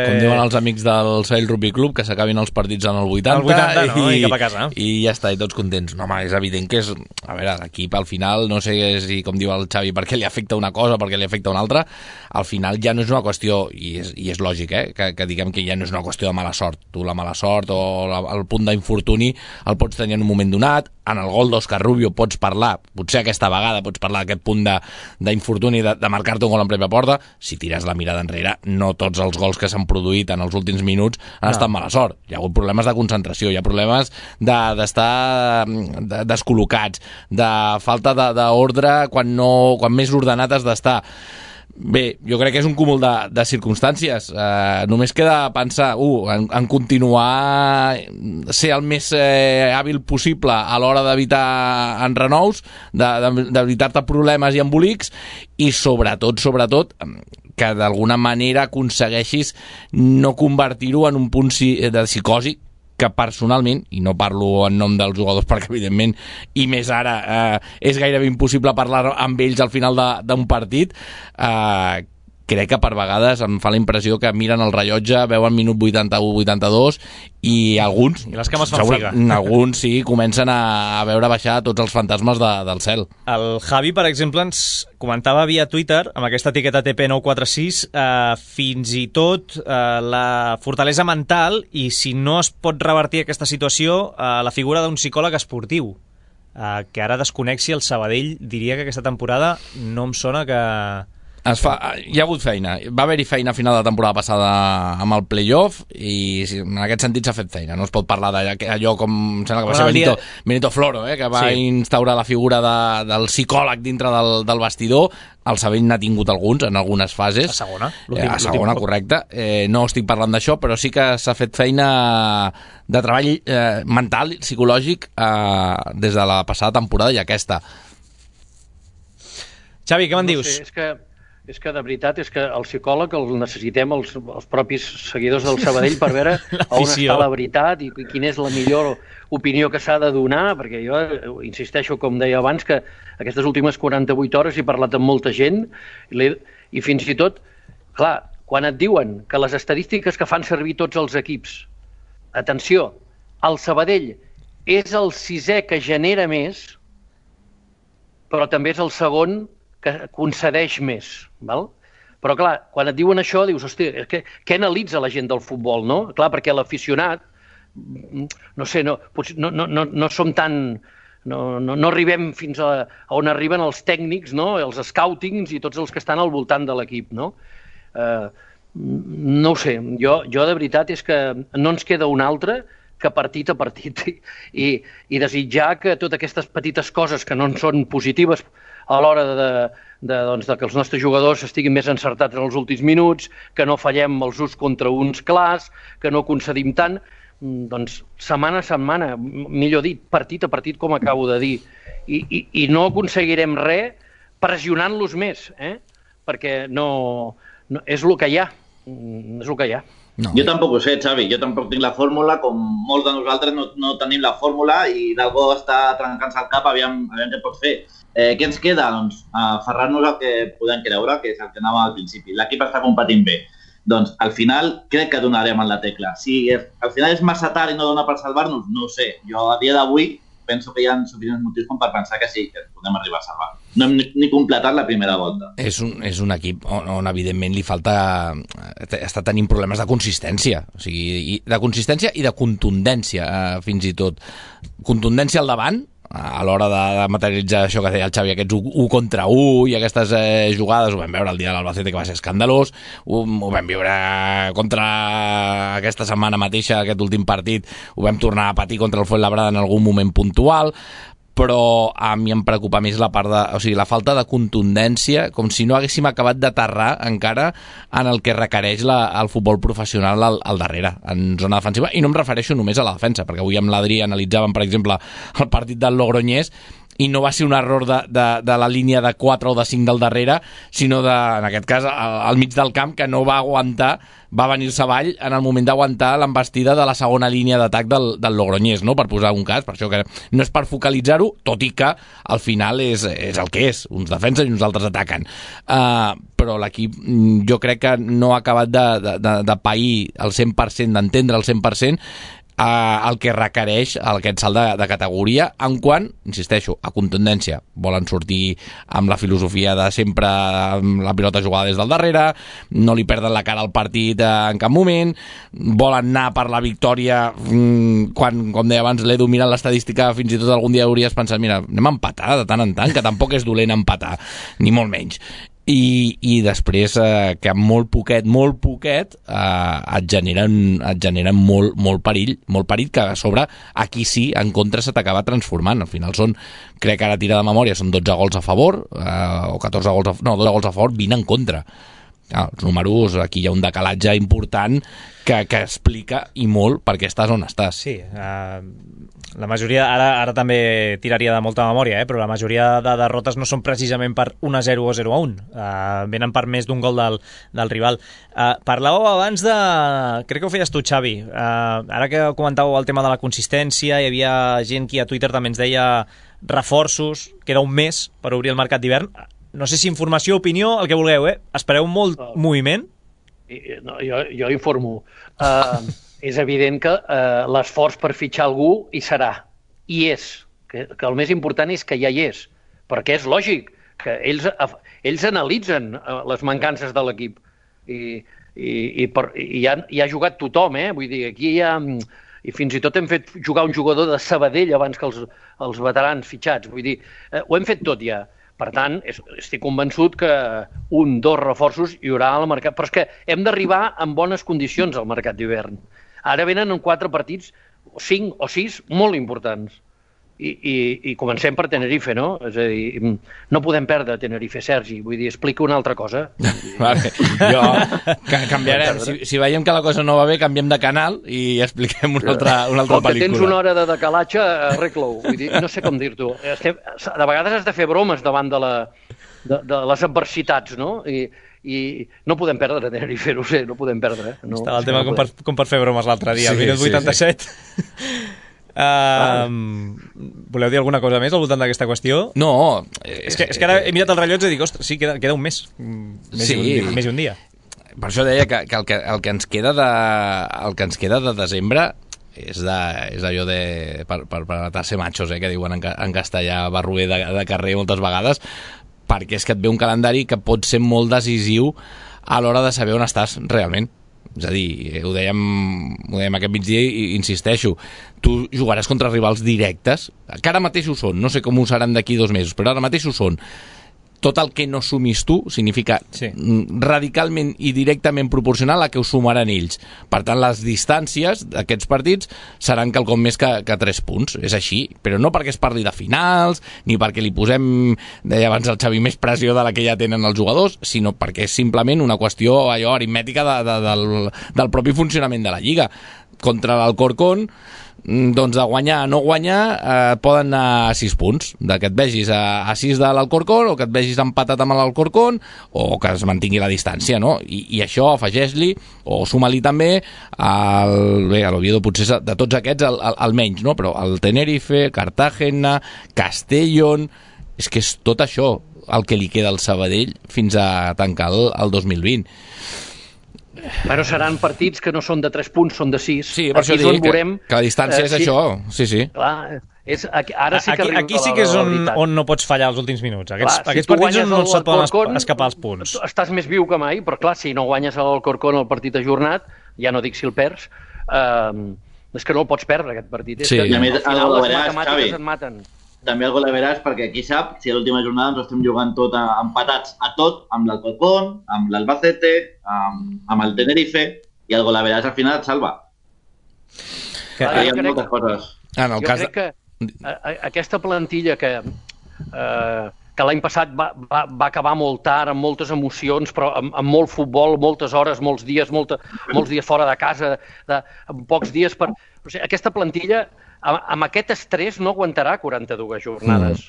Com diuen els amics del Sabadell Rugby Club, que s'acabin els partits en el 80.
El 80, no? I cap a casa.
I ja està, i tots contents. No, home, és evident que és... A veure, l'equip al final, no sé si, com diu el Xavi, per què li afecta una cosa o per què li afecta una altra, al final ja no és una qüestió, i és lògic, que diguem que ja no és una qüestió de mala sort. Tu la mala sort o el punt d'infortuni el pots tenir en un moment donat, en el gol d'Òscar Rubio pots parlar, potser aquesta vegada pots parlar d'aquest punt d'infortuni de marcar-te un gol en pròpia porta. Si tires la mirada enrere, no tots els gols que s'han produït en els últims minuts han estat mala sort. Hi ha hagut problemes de concentració, hi ha problemes d'estar descol·locats, de falta d'ordre quan més ordenat has d'estar. Bé, jo crec que és un cúmul de circumstàncies. Només queda pensar en continuar ser el més hàbil possible a l'hora d'evitar enrenous, d'evitar-te problemes i embolics, i sobretot, que d'alguna manera aconsegueixis no convertir-ho en un punt de psicosi, que personalment, i no parlo en nom dels jugadors perquè evidentment, i més ara és gairebé impossible parlar amb ells al final d'un partit, crec que per vegades em fa la impressió que miren el rellotge, veuen minut 81-82 i alguns,
i les cames fan figa.
Alguns sí, comencen a veure baixar tots els fantasmes del cel.
El Javi, per exemple, ens comentava via Twitter, amb aquesta etiqueta TP946, fins i tot la fortalesa mental, i si no es pot revertir aquesta situació, la figura d'un psicòleg esportiu, que ara desconec si el Sabadell diria que aquesta temporada no em sona que...
Hi ha hagut feina. Va haver-hi feina a final de temporada passada amb el playoff i en aquest sentit s'ha fet feina. No es pot parlar d'allò com em sembla que va ser Benito Floro, que va instaurar la figura del psicòleg dintre del vestidor. El Sabadell n'ha tingut alguns en algunes fases.
A segona.
A segona, correcte. No estic parlant d'això, però sí que s'ha fet feina de treball mental, psicològic, des de la passada temporada i aquesta.
Xavi, què me'n dius?
És que de veritat és que el psicòleg el necessitem els propis seguidors del Sabadell per veure on està la veritat i quina és la millor opinió que s'ha de donar, perquè jo insisteixo, com deia abans, que aquestes últimes 48 hores he parlat amb molta gent i fins i tot, clar, quan et diuen que les estadístiques que fan servir tots els equips, atenció, el Sabadell és el 6è que genera més, però també és el segon que concedeix més, val? Però clar, quan et diuen això dius, hòstia, què analitza la gent del futbol, no? Clar, perquè l'aficionat, no sé, no som tan... No arribem fins a on arriben els tècnics, no? Els scoutings i tots els que estan al voltant de l'equip, no? No ho sé, jo de veritat és que no ens queda un altre que partit a partit i desitjar que totes aquestes petites coses que no en són positives a l'hora de que els nostres jugadors estiguin més encertats en els últims minuts, que no fallem els uns contra uns clars, que no concedim tant, doncs setmana a setmana, millor dit, partit a partit, com acabo de dir, i no aconseguirem res pressionant-los més, perquè no és el que hi ha, és el que hi ha.
No. Jo tampoc ho sé, Xavi, jo tampoc tinc la fórmula, com molts de nosaltres no tenim la fórmula i d'algú està trencant-se el cap, aviam què pot fer. Què ens queda? Doncs aferrar-nos al que podem creure, que és el que anàvem al principi. L'equip està competint bé. Doncs al final crec que donarem en la tecla. Si al final és massa tard i no dona per salvar-nos, no ho sé. Jo a dia d'avui penso que hi ha suficients motius com per pensar que sí, que podem arribar a salvar. No hem ni completat la primera volta.
És un equip on evidentment li falta... està tenint problemes de consistència. O sigui, de consistència i de contundència, fins i tot. Contundència al davant, a l'hora de materialitzar això que deia el Xavi, aquests 1 contra 1 i aquestes jugades, ho vam veure el dia de l'Albacete, que va ser escandalós, ho vam viure contra aquesta setmana mateixa, aquest últim partit, ho vam tornar a patir contra el Fuenlabrada en algun moment puntual, però a mi em preocupa més la falta de contundència, com si no haguéssim acabat d'aterrar encara en el que requereix el futbol professional al darrere, en zona defensiva, i no em refereixo només a la defensa, perquè avui amb l'Adri analitzàvem, per exemple, el partit del Logroñés, i no va ser un error de la línia de 4 o de 5 del darrere, sinó en aquest cas al mig del camp, que no va aguantar, va venir-se avall en el moment d'aguantar l'embestida de la segona línia d'atac del Logroñés, no? Per posar un cas, per això que no és per focalitzar-ho, tot i que al final és el que és, uns defensen i uns altres ataquen. Però l'equip jo crec que no ha acabat de pair el 100%, d'entendre el 100% el que requereix aquest salt de categoria, en quant, insisteixo, a contundència. Volen sortir amb la filosofia de sempre amb la pilota jugada des del darrere, no li perden la cara al partit en cap moment, volen anar per la victòria quan, com deia abans, l'Edu, mirant l'estadística, fins i tot algun dia hauries pensat, mira, anem a empatar de tant en tant, que tampoc és dolent empatar, ni molt menys. i després que amb molt poquet et generen molt perill que a sobre aquí sí en contra se t'acaba transformant. Al final crec que ara tira de memòria, són 12 gols a favor o 14 gols 12 gols a favor, 20 en contra. Els números, aquí hi ha un decalatge important que explica i molt per què estàs on estàs.
Sí, la majoria, ara també tiraria de molta memòria, però la majoria de derrotes no són precisament per 1-0 o 0-1, venen per més d'un gol del rival. Parlàveu abans de... crec que ho feies tu, Xavi, ara que comentàveu el tema de la consistència, hi havia gent que a Twitter també ens deia reforços, queda un mes per obrir el mercat d'hivern. No sé si informació, opinió, el que vulgueu, Espereu molt moviment?
No, jo informo. És evident que l'esforç per fitxar algú hi serà. I és. Que el més important és que ja hi és. Perquè és lògic que ells analitzen les mancances de l'equip. I ha jugat tothom, Vull dir, aquí hi ha... I fins i tot hem fet jugar un jugador de Sabadell abans que els veterans fitxats. Vull dir, ho hem fet tot ja. Per tant, estic convençut que 1-2 reforços hi haurà al mercat. Però és que hem d'arribar en bones condicions al mercat d'hivern. Ara venen 4 partits, 5 o 6, molt importants. I comencem per Tenerife, no? És a dir, no podem perdre Tenerife, Sergi. Vull dir, explica una altra cosa.
Vale. Jo canviarem. Si veiem que la cosa no va bé, canviem de canal i expliquem una altra pel·lícula.
Que tens una hora de decalatge, arregla-ho. Vull dir, no sé com dir-t'ho. De vegades has de fer bromes davant de les adversitats, no? I no podem perdre Tenerife, no sé, no podem perdre.
Estava el tema com per fer bromes l'altre dia, al minut 87. Voleu dir alguna cosa més al voltant d'aquesta qüestió?
No,
és que ara he mirat el rellotge i dic, ostres, sí, queda un mes, més i un dia.
Per això deia que el que ens queda de desembre és allò de per atar-se machos, que diuen en castellà, barruer de carrer moltes vegades, perquè és que et ve un calendari que pot ser molt decisiu a l'hora de saber on estàs realment. És a dir, ho dèiem aquest migdia i insisteixo, tu jugaràs contra rivals directes, que ara mateix ho són, no sé com ho seran d'aquí 2 mesos, però ara mateix ho són. Tot el que no sumis tu significa radicalment i directament proporcional a que ho sumaran ells. Per tant, les distàncies d'aquests partits seran quelcom més que 3 punts. És així, però no perquè es parli de finals, ni perquè li posem, deia abans el Xavi, més pressió de la que ja tenen els jugadors, sinó perquè és simplement una qüestió aritmètica del propi funcionament de la Lliga. Contra l'Alcorcón, doncs de guanyar a no guanyar poden anar a 6 punts, de que et vegis a 6 de l'Alcorcón o que et vegis empatat amb l'Alcorcón o que es mantingui la distància, no? I això afegeix-li o suma-li també a l'Oviedo, potser de tots aquests el menys, no? Però el Tenerife, Cartagena, Castellón, és que és tot això el que li queda al Sabadell fins a tancar el 2020.
Però seran partits que no són de 3 punts, són de 6.
Sí, per això dic que la distància és això. Sí.
Clar, ara sí que
aquí sí que és on no pots fallar els últims minuts. Aquests partits no se't poden escapar els punts.
Estàs més viu que mai, però clar, si no guanyes a l'Alcorcón el partit ajornat, ja no dic si el perds, és que no el pots perdre, aquest partit.
Sí. I a més,
al final les matemàtiques et maten.
També algú la veràs, perquè qui sap si a l'última jornada ens estem jugant tot empatats a tot, amb l'Alcorcón, amb l'Albacete, amb el Tenerife, i algú la veràs al final et salva. Hi ha moltes coses.
Jo crec que aquesta plantilla que l'any passat va acabar molt tard, amb moltes emocions, però amb molt futbol, moltes hores, molts dies fora de casa, amb pocs dies per... O sigui, aquesta plantilla, amb aquest estrès, no aguantarà 42 jornades.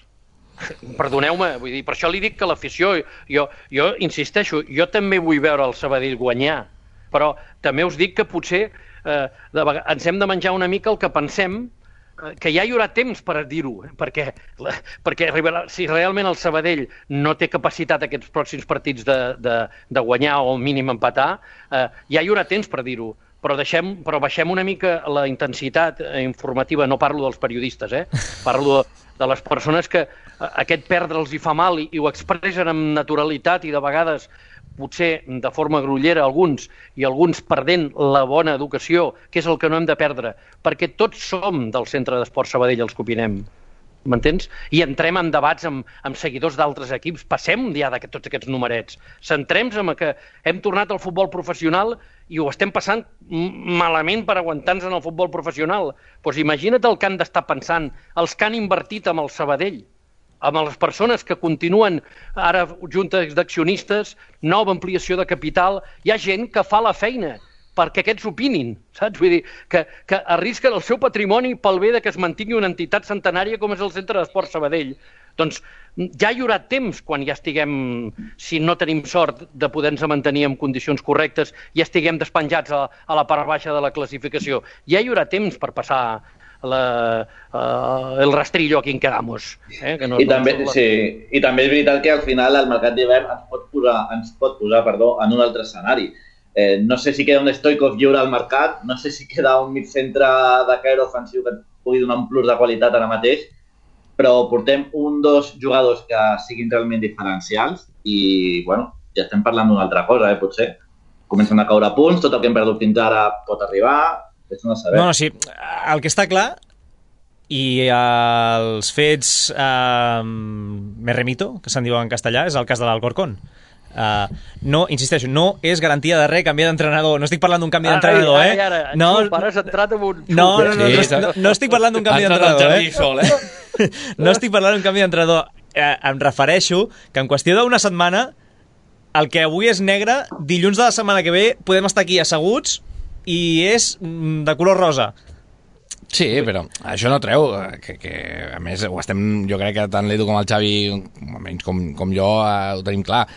Perdoneu-me, vull dir, per això li dic que l'afició, jo insisteixo, jo també vull veure el Sabadell guanyar, però també us dic que potser ens hem de menjar una mica el que pensem, que ja hi haurà temps per dir-ho, perquè si realment el Sabadell no té capacitat aquests pròxims partits de guanyar o mínim empatar, ja hi haurà temps per dir-ho. Però baixem una mica la intensitat informativa, no parlo dels periodistes, parlo de les persones que aquest perdre'ls hi fa mal i ho expressen amb naturalitat i de vegades potser de forma grollera alguns i alguns perdent la bona educació, que és el que no hem de perdre, perquè tots som del Centre d'Esport Sabadell els que opinem. m'entens? I entrem en debats amb seguidors d'altres equips, passem ja de tots aquests numerets, centrem-nos en que hem tornat al futbol professional i ho estem passant malament per aguantar-nos en el futbol professional. Doncs imagina't el que han d'estar pensant els que han invertit amb el Sabadell, amb les persones que continuen ara juntes d'accionistes, nova ampliació de capital, hi ha gent que fa la feina perquè aquests opinin, saps? Vull dir, que arrisquen el seu patrimoni pel bé de que es mantingui una entitat centenària com és el Centre d'Esport Sabadell. Doncs ja hi haurà temps quan ja estiguem, si no tenim sort de poder-nos mantenir en condicions correctes, ja estiguem despenjats a la part baixa de la classificació. Ja hi haurà temps per passar el rastrillo a quien quedamos.
I també és veritat que al final el mercat d'hivern ens pot posar en un altre escenari. No sé si queda un Stoichkov lliure al mercat, no sé si queda un migcentre de caire ofensiu que et pugui donar un plus de qualitat ara mateix, però portem dos jugadors que siguin realment diferencials i, bueno, ja estem parlant d'una altra cosa, potser. Comencen a caure punts, tot el que hem perdut fins ara pot arribar, és no saber.
No, sí, el que està clar, i els fets me remito, que se'n diu en castellà, és el cas de l'Alcorcón. No, insisteixo, no és garantia de res canviar d'entrenador. No estic parlant d'un canvi d'entrenador, No estic parlant d'un canvi d'entrenador, No estic parlant d'un canvi d'entrenador. Em refereixo que en qüestió d'una setmana el que avui és negre, dilluns de la setmana que ve podem estar aquí asseguts i és de color rosa.
Sí, però això no treu que a més ho estem, jo crec que tant l'Edu com el Xavi, almenys com jo, ho tenim clar.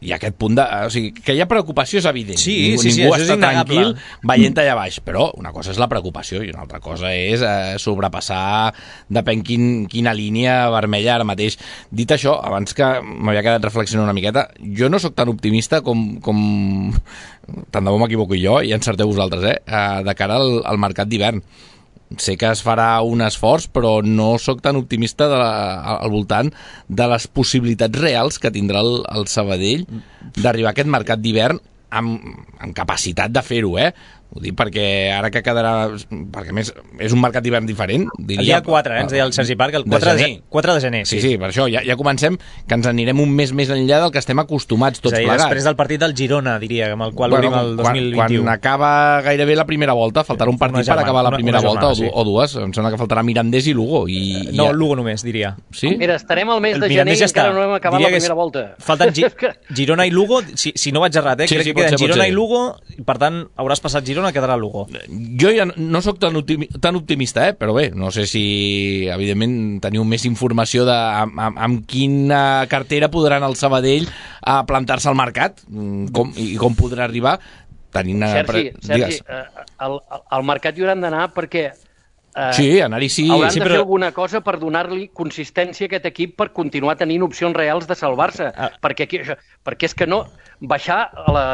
Hi ha aquest punt de... O sigui, que hi ha preocupació és evident.
Sí,
ningú està tranquil veient allà baix. Però una cosa és la preocupació i una altra cosa és sobrepassar depèn quina línia vermella ara mateix. Dit això, abans que m'havia quedat reflexionant una miqueta, jo no sóc tan optimista com tant de bo m'equivoco jo, i encerteu vosaltres, de cara al mercat d'hivern. Sé que es farà un esforç, però no sóc tan optimista al voltant de les possibilitats reals que tindrà el Sabadell d'arribar a aquest mercat d'hivern amb capacitat de fer-ho, Ho dic perquè ara que quedarà... Perquè, a més, és un mercat d'hivern diferent. Diria,
el dia 4, ens deia el Sergi Parc, el 4 de gener.
Sí, per això, ja comencem, que ens anirem un mes més enllà del que estem acostumats tots plegats.
Després del partit del Girona, diria, amb el qual obrim el 2021.
Quan acaba gairebé la primera volta, faltarà un partit per acabar la primera volta, o dues. Em sembla que faltarà Mirandés i Lugo.
No, Lugo només, diria.
Sí?
Mira, estarem al mes de gener i encara no hem acabat la primera volta.
Falten Girona i Lugo, si no vaig errat, crec que queden Girona i Lugo, i per tant hauràs passat Girona, quedarà Lugo.
Jo ja no sóc tan optimista, però bé, no sé si evidentment teniu més informació de amb quina cartera podran el Sabadell a plantar-se al mercat i com podrà arribar tenint...
Sergi, al mercat hi hauran d'anar perquè
anar-hi sí.
Hauran de fer alguna cosa per donar-li consistència a aquest equip per continuar tenint opcions reals de salvar-se, perquè és que no, baixar a la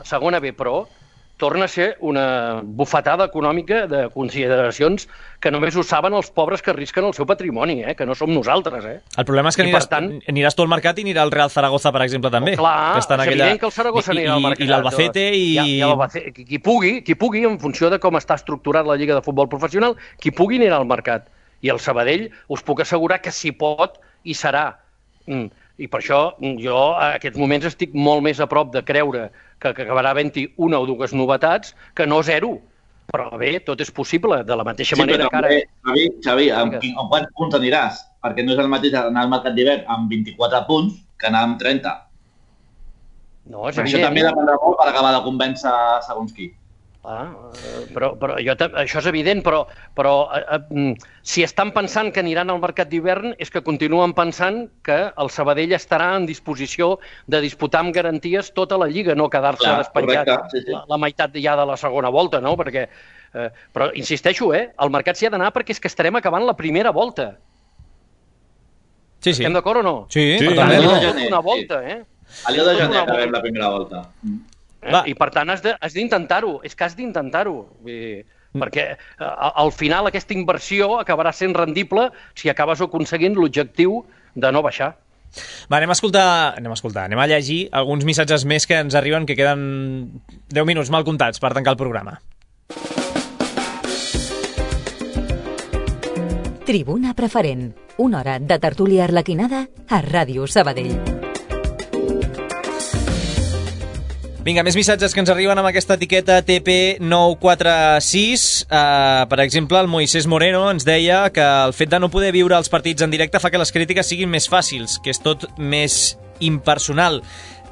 segona B Pro torna a ser una bufetada econòmica de consideracions que només ho saben els pobres que arrisquen el seu patrimoni, que no som nosaltres.
El problema és que aniràs tu al mercat i anirà el Real Zaragoza, per exemple, també.
Clar, és evident que el Zaragoza anirà al mercat.
I l'Albacete i...
Qui pugui, en funció de com està estructurat la Lliga de Futbol Professional, qui pugui anirà al mercat. I el Sabadell us puc assegurar que si pot, hi serà. I per això jo a aquests moments estic molt més a prop de creure que acabarà havent-hi una o dues novetats que no zero. Però bé, tot és possible, de la mateixa manera que ara...
Xavi, amb quants punts aniràs? Perquè no és el mateix anar al mercat d'hivern amb 24 punts que anar amb 30.
No, és evident.
Això també dependrà molt per acabar de convèncer segons qui.
Però això és evident, però si estan pensant que aniran al mercat d'hivern és que continuen pensant que el Sabadell estarà en disposició de disputar amb garanties tota la Lliga, no quedar-se despenjat la meitat ja de la segona volta, no? Perquè, però insisteixo, al mercat s'hi ha d'anar perquè és que estarem acabant la primera volta.
Sí.
Estem d'acord o no?
Sí.
Per tant, una volta,
A l'Io de gener acabem la primera volta.
I per tant has d'intentar-ho, és que has d'intentar-ho, perquè al final aquesta inversió acabarà sent rendible si acabes aconseguint l'objectiu de no baixar.
Va, anem a llegir alguns missatges més que ens arriben, que queden 10 minuts mal comptats per tancar el programa.
Tribuna Preferent, una hora de tertúlia arlequinada a Ràdio Sabadell.
Vinga, més missatges que ens arriben amb aquesta etiqueta TP946. Per exemple, el Moisés Moreno ens deia que el fet de no poder viure els partits en directe fa que les crítiques siguin més fàcils, que és tot més impersonal.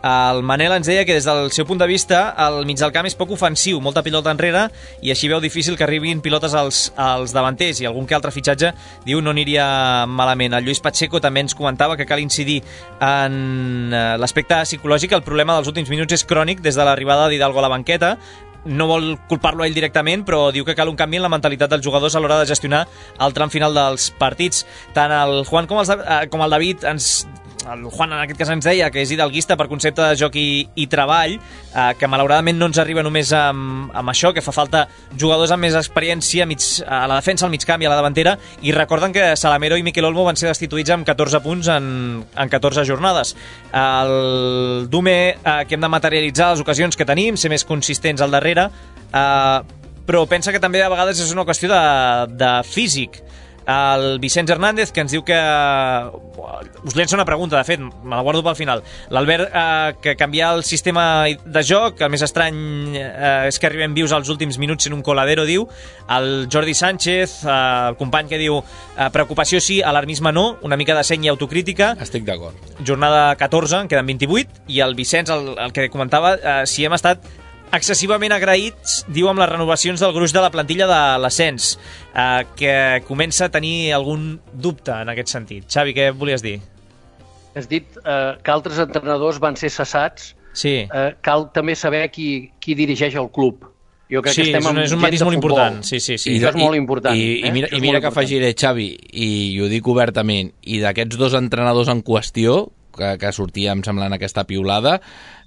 El Manel ens deia que des del seu punt de vista el mig del camp és poc ofensiu, molta pilota enrere, i així veu difícil que arribin pilotes als davanters, i algun que altre fitxatge diu no aniria malament. El Lluís Pacheco també ens comentava que cal incidir en l'aspecte psicològic. El problema dels últims minuts és crònic des de l'arribada d'Hidalgo a la banqueta. No vol culpar-lo a ell directament, però diu que cal un canvi en la mentalitat dels jugadors a l'hora de gestionar el tram final dels partits. Tant el Juan com el David el Juan en aquest cas ens deia que és hidalguista per concepte de joc i treball, que malauradament no ens arriba només amb això, que fa falta jugadors amb més experiència a la defensa, al mig camp i a la davantera, i recorden que Salamero i Miquel Olmo van ser destituïts amb 14 punts en 14 jornades. El Dume, que hem de materialitzar les ocasions que tenim, ser més consistents al darrere, però pensa que també a vegades és una qüestió de físic. El Vicenç Hernández, que ens diu que us llença una pregunta, de fet me la guardo pel final. L'Albert, que canviar el sistema de joc, el més estrany és que arribem vius als últims minuts en un coladero, diu. El Jordi Sánchez, el company, que diu preocupació sí, alarmisme no, una mica de seny i autocrítica.
Estic d'acord.
Jornada 14, en queden 28, i el Vicenç, el que comentava, si hem estat excessivament agraïts, diu, amb les renovacions del gruix de la plantilla de l'ascens, que comença a tenir algun dubte en aquest sentit. Xavi, què volies dir?
Has dit que altres entrenadors van ser cessats.
Sí.
Cal també saber qui dirigeix el club. Jo crec que estem
és un matís molt important. Sí.
I això és molt important.
I mira que afegiré, Xavi, i ho dic obertament, i d'aquests dos entrenadors en qüestió, que sortia, em sembla, en aquesta piulada,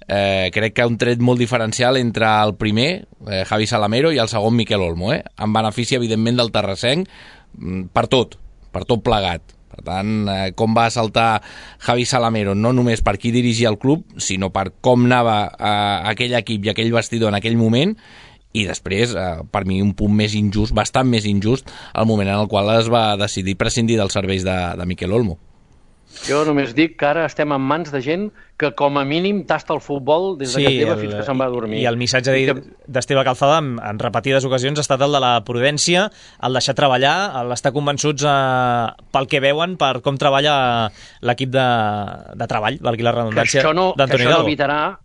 crec que un tret molt diferencial entre el primer, Javi Salamero, i el segon, Miquel Olmo, en benefici, evidentment, del terrassenc, per tot plegat. Per tant, com va saltar Javi Salamero, no només per qui dirigia el club, sinó per com anava aquell equip i aquell vestidor en aquell moment, i després, per mi, un punt més injust, bastant més injust, el moment en el qual es va decidir prescindir dels serveis de Miquel Olmo.
Jo només dic que ara estem en mans de gent que com a mínim tasta el futbol des que teva fins que se'n va a dormir.
I el missatge d'Esteve Calzada en repetides ocasions ha estat el de la prudència, el deixar treballar, l'estar convençuts pel que veuen, per com treballa l'equip de treball, valgui la redundància, d'Antoni Hidalgo.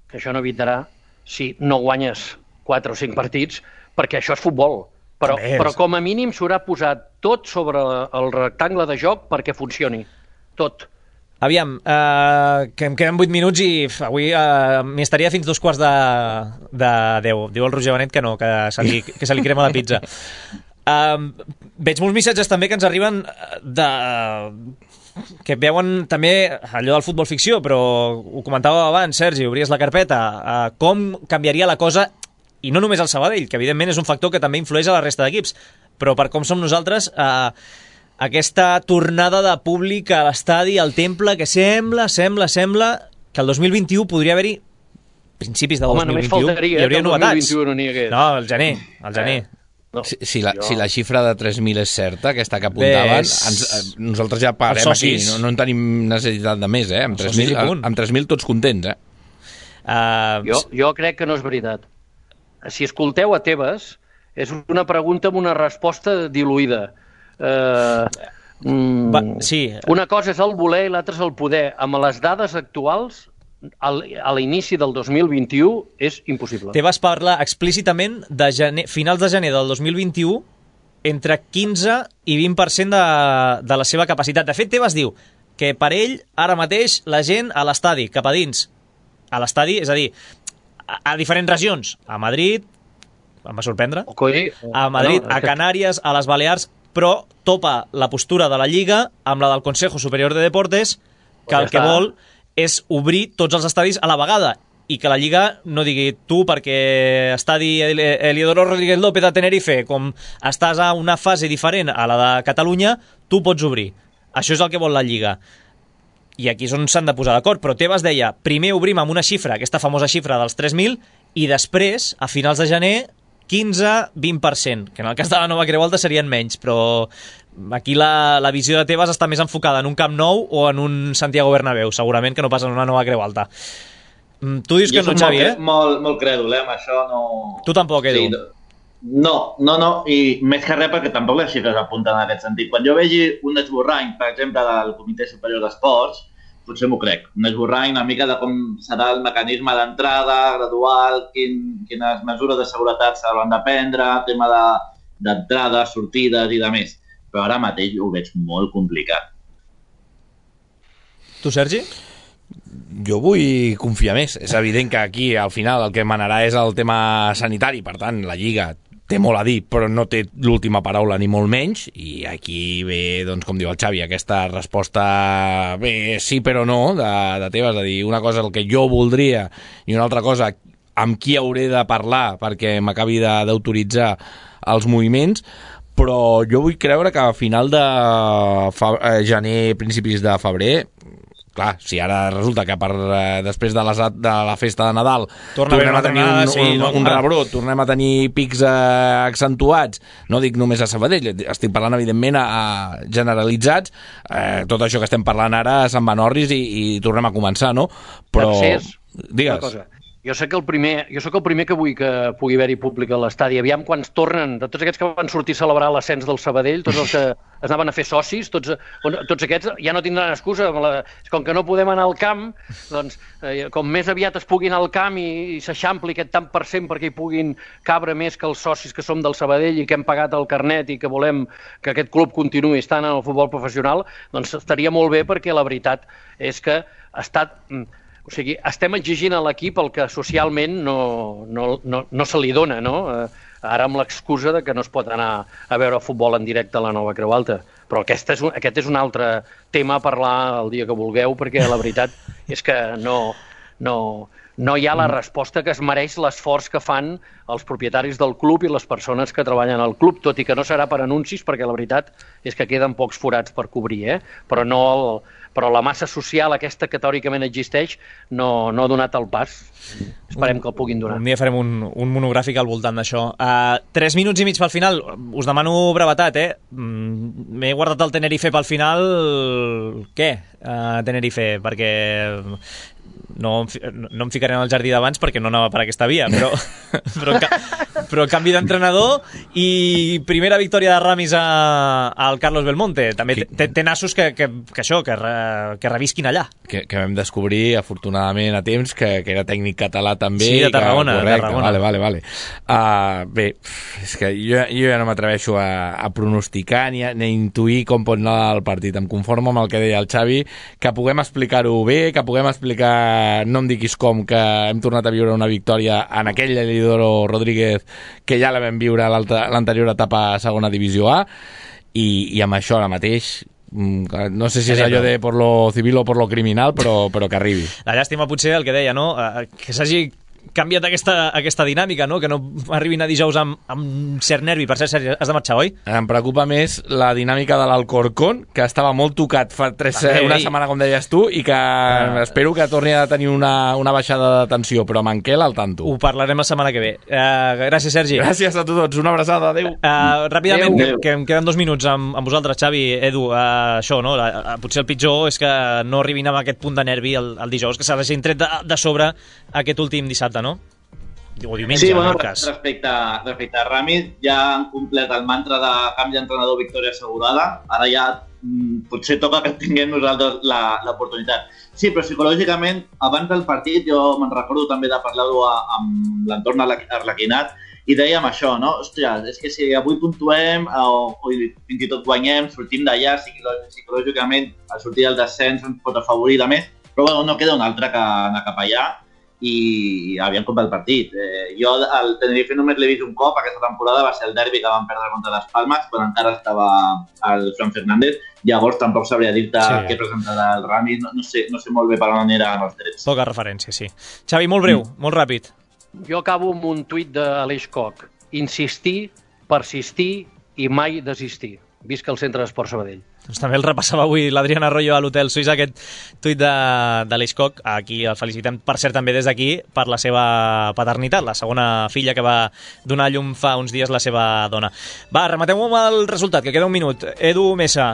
Que això no evitarà si no guanyes 4 o 5 partits, perquè això és futbol. Però com a mínim s'haurà posat tot sobre el rectangle de joc perquè funcioni. Tot.
Aviam, que em queden 8 minuts i avui m'hi estaria fins 2 quarts de 10. Diu el Roger Benet que no, que se li crema la pizza. Veig molts missatges també que ens arriben que veuen també allò del futbol ficció, però ho comentava abans, Sergi, obries la carpeta, com canviaria la cosa, i no només el Sabadell, que evidentment és un factor que també influeix a la resta d'equips, però per com som nosaltres, aquesta tornada de públic a l'estadi, al Temple, que sembla que el 2021 podria haver-hi, principis de 2021, hi hauria novetats. No, el gener.
No, si la xifra de 3.000 és certa, aquesta que apuntaven, nosaltres ja parem aquí, no en tenim necessitat de més, amb 3.000 tots contents.
Jo crec que no és veritat. Si escolteu a Tebas, és una pregunta amb una resposta diluïda. Una cosa és el voler i l'altra és el poder. Amb les dades actuals, a l'inici del 2021 és impossible.
Tebas parla explícitament de finals de gener del 2021 entre 15 i 20% de la seva capacitat. De fet, Tebas diu que per ell, ara mateix, la gent a l'estadi, cap a dins. A l'estadi, és a dir, a diferents regions. A Madrid, em va sorprendre, a Madrid, a Canàries, a les Balears, però topa la postura de la Lliga amb la del Consejo Superior de Deportes, que el que vol és obrir tots els estadis a la vegada i que la Lliga no digui tu perquè estadi Eliodoro Rodríguez López de Tenerife, com estàs a una fase diferent a la de Catalunya, tu pots obrir. Això és el que vol la Lliga. I aquí és on s'han de posar d'acord. Però Tebas deia, primer obrim amb una xifra, aquesta famosa xifra dels 3.000, i després, a finals de gener, 15-20%, que en el cas de la Nova Creu Alta serien menys, però aquí la visió de Tebas està més enfocada en un Camp Nou o en un Santiago Bernabéu, segurament que no pas en una Nova Creu Alta. Tu dius que no, Xavi,
molt crèdul, amb això no...
Tu tampoc, Edu.
Sí, no, i més que res perquè tampoc les xifres apunten en aquest sentit. Quan jo vegi un esborrany, per exemple, del Comitè Superior d'Esports, potser m'ho crec. Un esborrany una mica de com serà el mecanisme d'entrada, gradual, quines mesures de seguretat s'hauran de prendre, tema d'entrades, sortides i de més. Però ara mateix ho veig molt complicat.
Tu, Sergi?
Jo vull confiar més. És evident que aquí, al final, el que manarà és el tema sanitari. Per tant, la Lliga té molt a dir, però no té l'última paraula ni molt menys, i aquí ve, doncs, com diu el Xavi, aquesta resposta bé, sí però no, de Tebas, de dir una cosa el que jo voldria i una altra cosa amb qui hauré de parlar perquè m'acabi d'autoritzar els moviments, però jo vull creure que a final de gener, principis de febrer, clar, si ara resulta que després de la festa de Nadal tornem a tenir un rebrot, tornem a tenir pics accentuats, no dic només a Sabadell, estic parlant evidentment a generalitzats, tot això que estem parlant ara se'n va en orris i tornem a començar, no? Però... Digues.
Jo soc el primer que vull que pugui haver-hi públic a l'estadi. Aviam quan tornen, de tots aquests que van sortir a celebrar l'ascens del Sabadell, tots els que es anaven a fer socis, tots aquests ja no tindran excusa. Com que no podem anar al camp, doncs com més aviat es puguin anar al camp i s'eixampli aquest tant per cent perquè hi puguin cabre més que els socis que som del Sabadell i que hem pagat el carnet i que volem que aquest club continuï estant en el futbol professional, doncs estaria molt bé, perquè la veritat és que ha estat... O sigui, estem exigint a l'equip el que socialment no se li dona, no? Ara amb l'excusa de que no es pot anar a veure futbol en directe a la Nova Creu Alta. Però aquest és un altre tema a parlar el dia que vulgueu, perquè la veritat és que no hi ha la resposta que es mereix l'esforç que fan els propietaris del club i les persones que treballen al club, tot i que no serà per anuncis, perquè la veritat és que queden pocs forats per cobrir, però la massa social aquesta que teòricament existeix no ha donat el pas. Esperem que el puguin donar.
Un dia farem un monogràfic al voltant d'això. 3 minuts i mig pel final. Us demano brevetat, M'he guardat el Tenerife pel final. Què? Tenerife, perquè... No em ficaré en el jardí d'abans perquè no anava per aquesta via, però canvi d'entrenador i primera victòria de Ramis al Carlos Belmonte. També té nassos que revisquin allà. Que
vam descobrir, afortunadament, a temps, que era tècnic català també.
Sí, de Tarragona.
Vale. Bé, és que jo ja no m'atreveixo a pronosticar ni a intuir com pot anar el partit. Em conformo amb el que deia el Xavi, que puguem explicar-ho bé, que puguem explicar, no em diguis com, que hem tornat a viure una victòria en aquell Elidoro Rodríguez que ja la vam viure a l'anterior etapa a segona divisió A, i amb això ara mateix no sé si és allò de por lo civil o por lo criminal, però que arribi.
La llàstima potser el que deia, no? Que s'hagi canviat aquesta dinàmica, no? Que no arribin a dijous amb cert nervi. Per cert, Sergi, has de marxar, oi?
Em preocupa més la dinàmica de l'Alcorcón, que estava molt tocat fa una setmana, com deies tu, i que espero que torni a tenir una baixada de tensió, però amb en Quel al tanto.
Ho parlarem la setmana que ve. Gràcies, Sergi.
Gràcies a tots, una abraçada, adéu.
Ràpidament, que em queden 2 minuts amb vosaltres, Xavi, Edu, això, no? Potser el pitjor és que no arribin amb aquest punt de nervi el dijous, que s'hagin tret de sobre aquest últim dissabte, no? O diumenge,
sí,
en el cas.
Respecte a Ramis, ja han complet el mantra de canvi d'entrenador, victòria assegurada. Ara ja potser toca que tinguem nosaltres l'oportunitat. Sí, però psicològicament, abans del partit, jo me'n recordo també de parlar-ho amb l'entorn arlequinat, i dèiem això, no? Hòstia, és que si avui puntuem o fins i tot guanyem, sortim d'allà, psicològicament el sortir del descens ens pot afavorir de més, però bueno, no queda un altre que anar cap allà i aviam com va el partit. Jo al Tenerife només l'he vist un cop aquesta temporada, va ser el derbi que van perdre contra les Palmes, quan encara estava el Fran Fernández. Llavors tampoc sabria dir-te què presentarà el Ramis, no sé molt bé per on aniran els drets.
Poca referència, sí. Xavi, molt breu, molt ràpid.
Jo acabo amb un tuit d'Aleix Koch. Insistir, persistir i mai desistir. Visca el Centre d'Esport Sabadell.
Doncs també el repassava avui l'Adrián Arroyo a l'Hotel Suís, aquest tuit de l'Hiscock. Aquí el felicitem, per cert, també des d'aquí, per la seva paternitat, la segona filla que va donar a llum fa uns dies la seva dona. Va, rematem-ho amb el resultat, que queda un minut. Edu Mesa,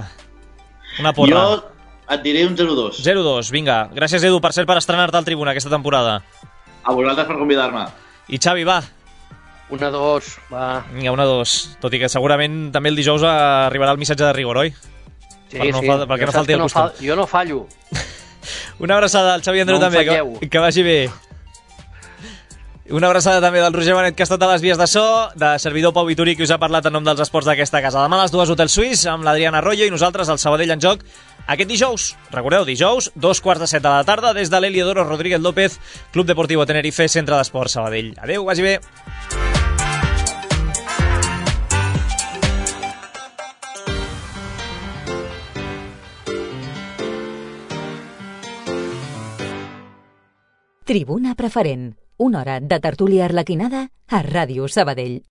una porra.
Jo et diré un 0-2.
0-2, vinga. Gràcies, Edu, per cert, per estrenar-te al Tribuna aquesta temporada.
A vosaltres per convidar-me.
I Xavi, va.
1-2, va.
Vinga, 1-2. Tot i que segurament també el dijous arribarà el missatge de rigor, oi?
Sí,
perquè no falti el costum.
Jo no fallo.
Una abraçada al Xavi Andreu també, que vagi bé. Una abraçada també del Roger Benet, que ha estat a les vies de so, de servidor Pau Vituri, que us ha parlat en nom dels esports d'aquesta casa. Demà a les 2, Hotel Suís, amb l'Adrián Arroyo i nosaltres, al Sabadell en joc, aquest dijous. Recordeu, dijous, 2:15 de la tarda, des de l'Heliodoro Rodríguez López, Club Deportivo Tenerife, Centre d'Esports Sabadell. Adéu, vagi bé.
Tribuna Preferent, una hora de tertúlia arlequinada a Ràdio Sabadell.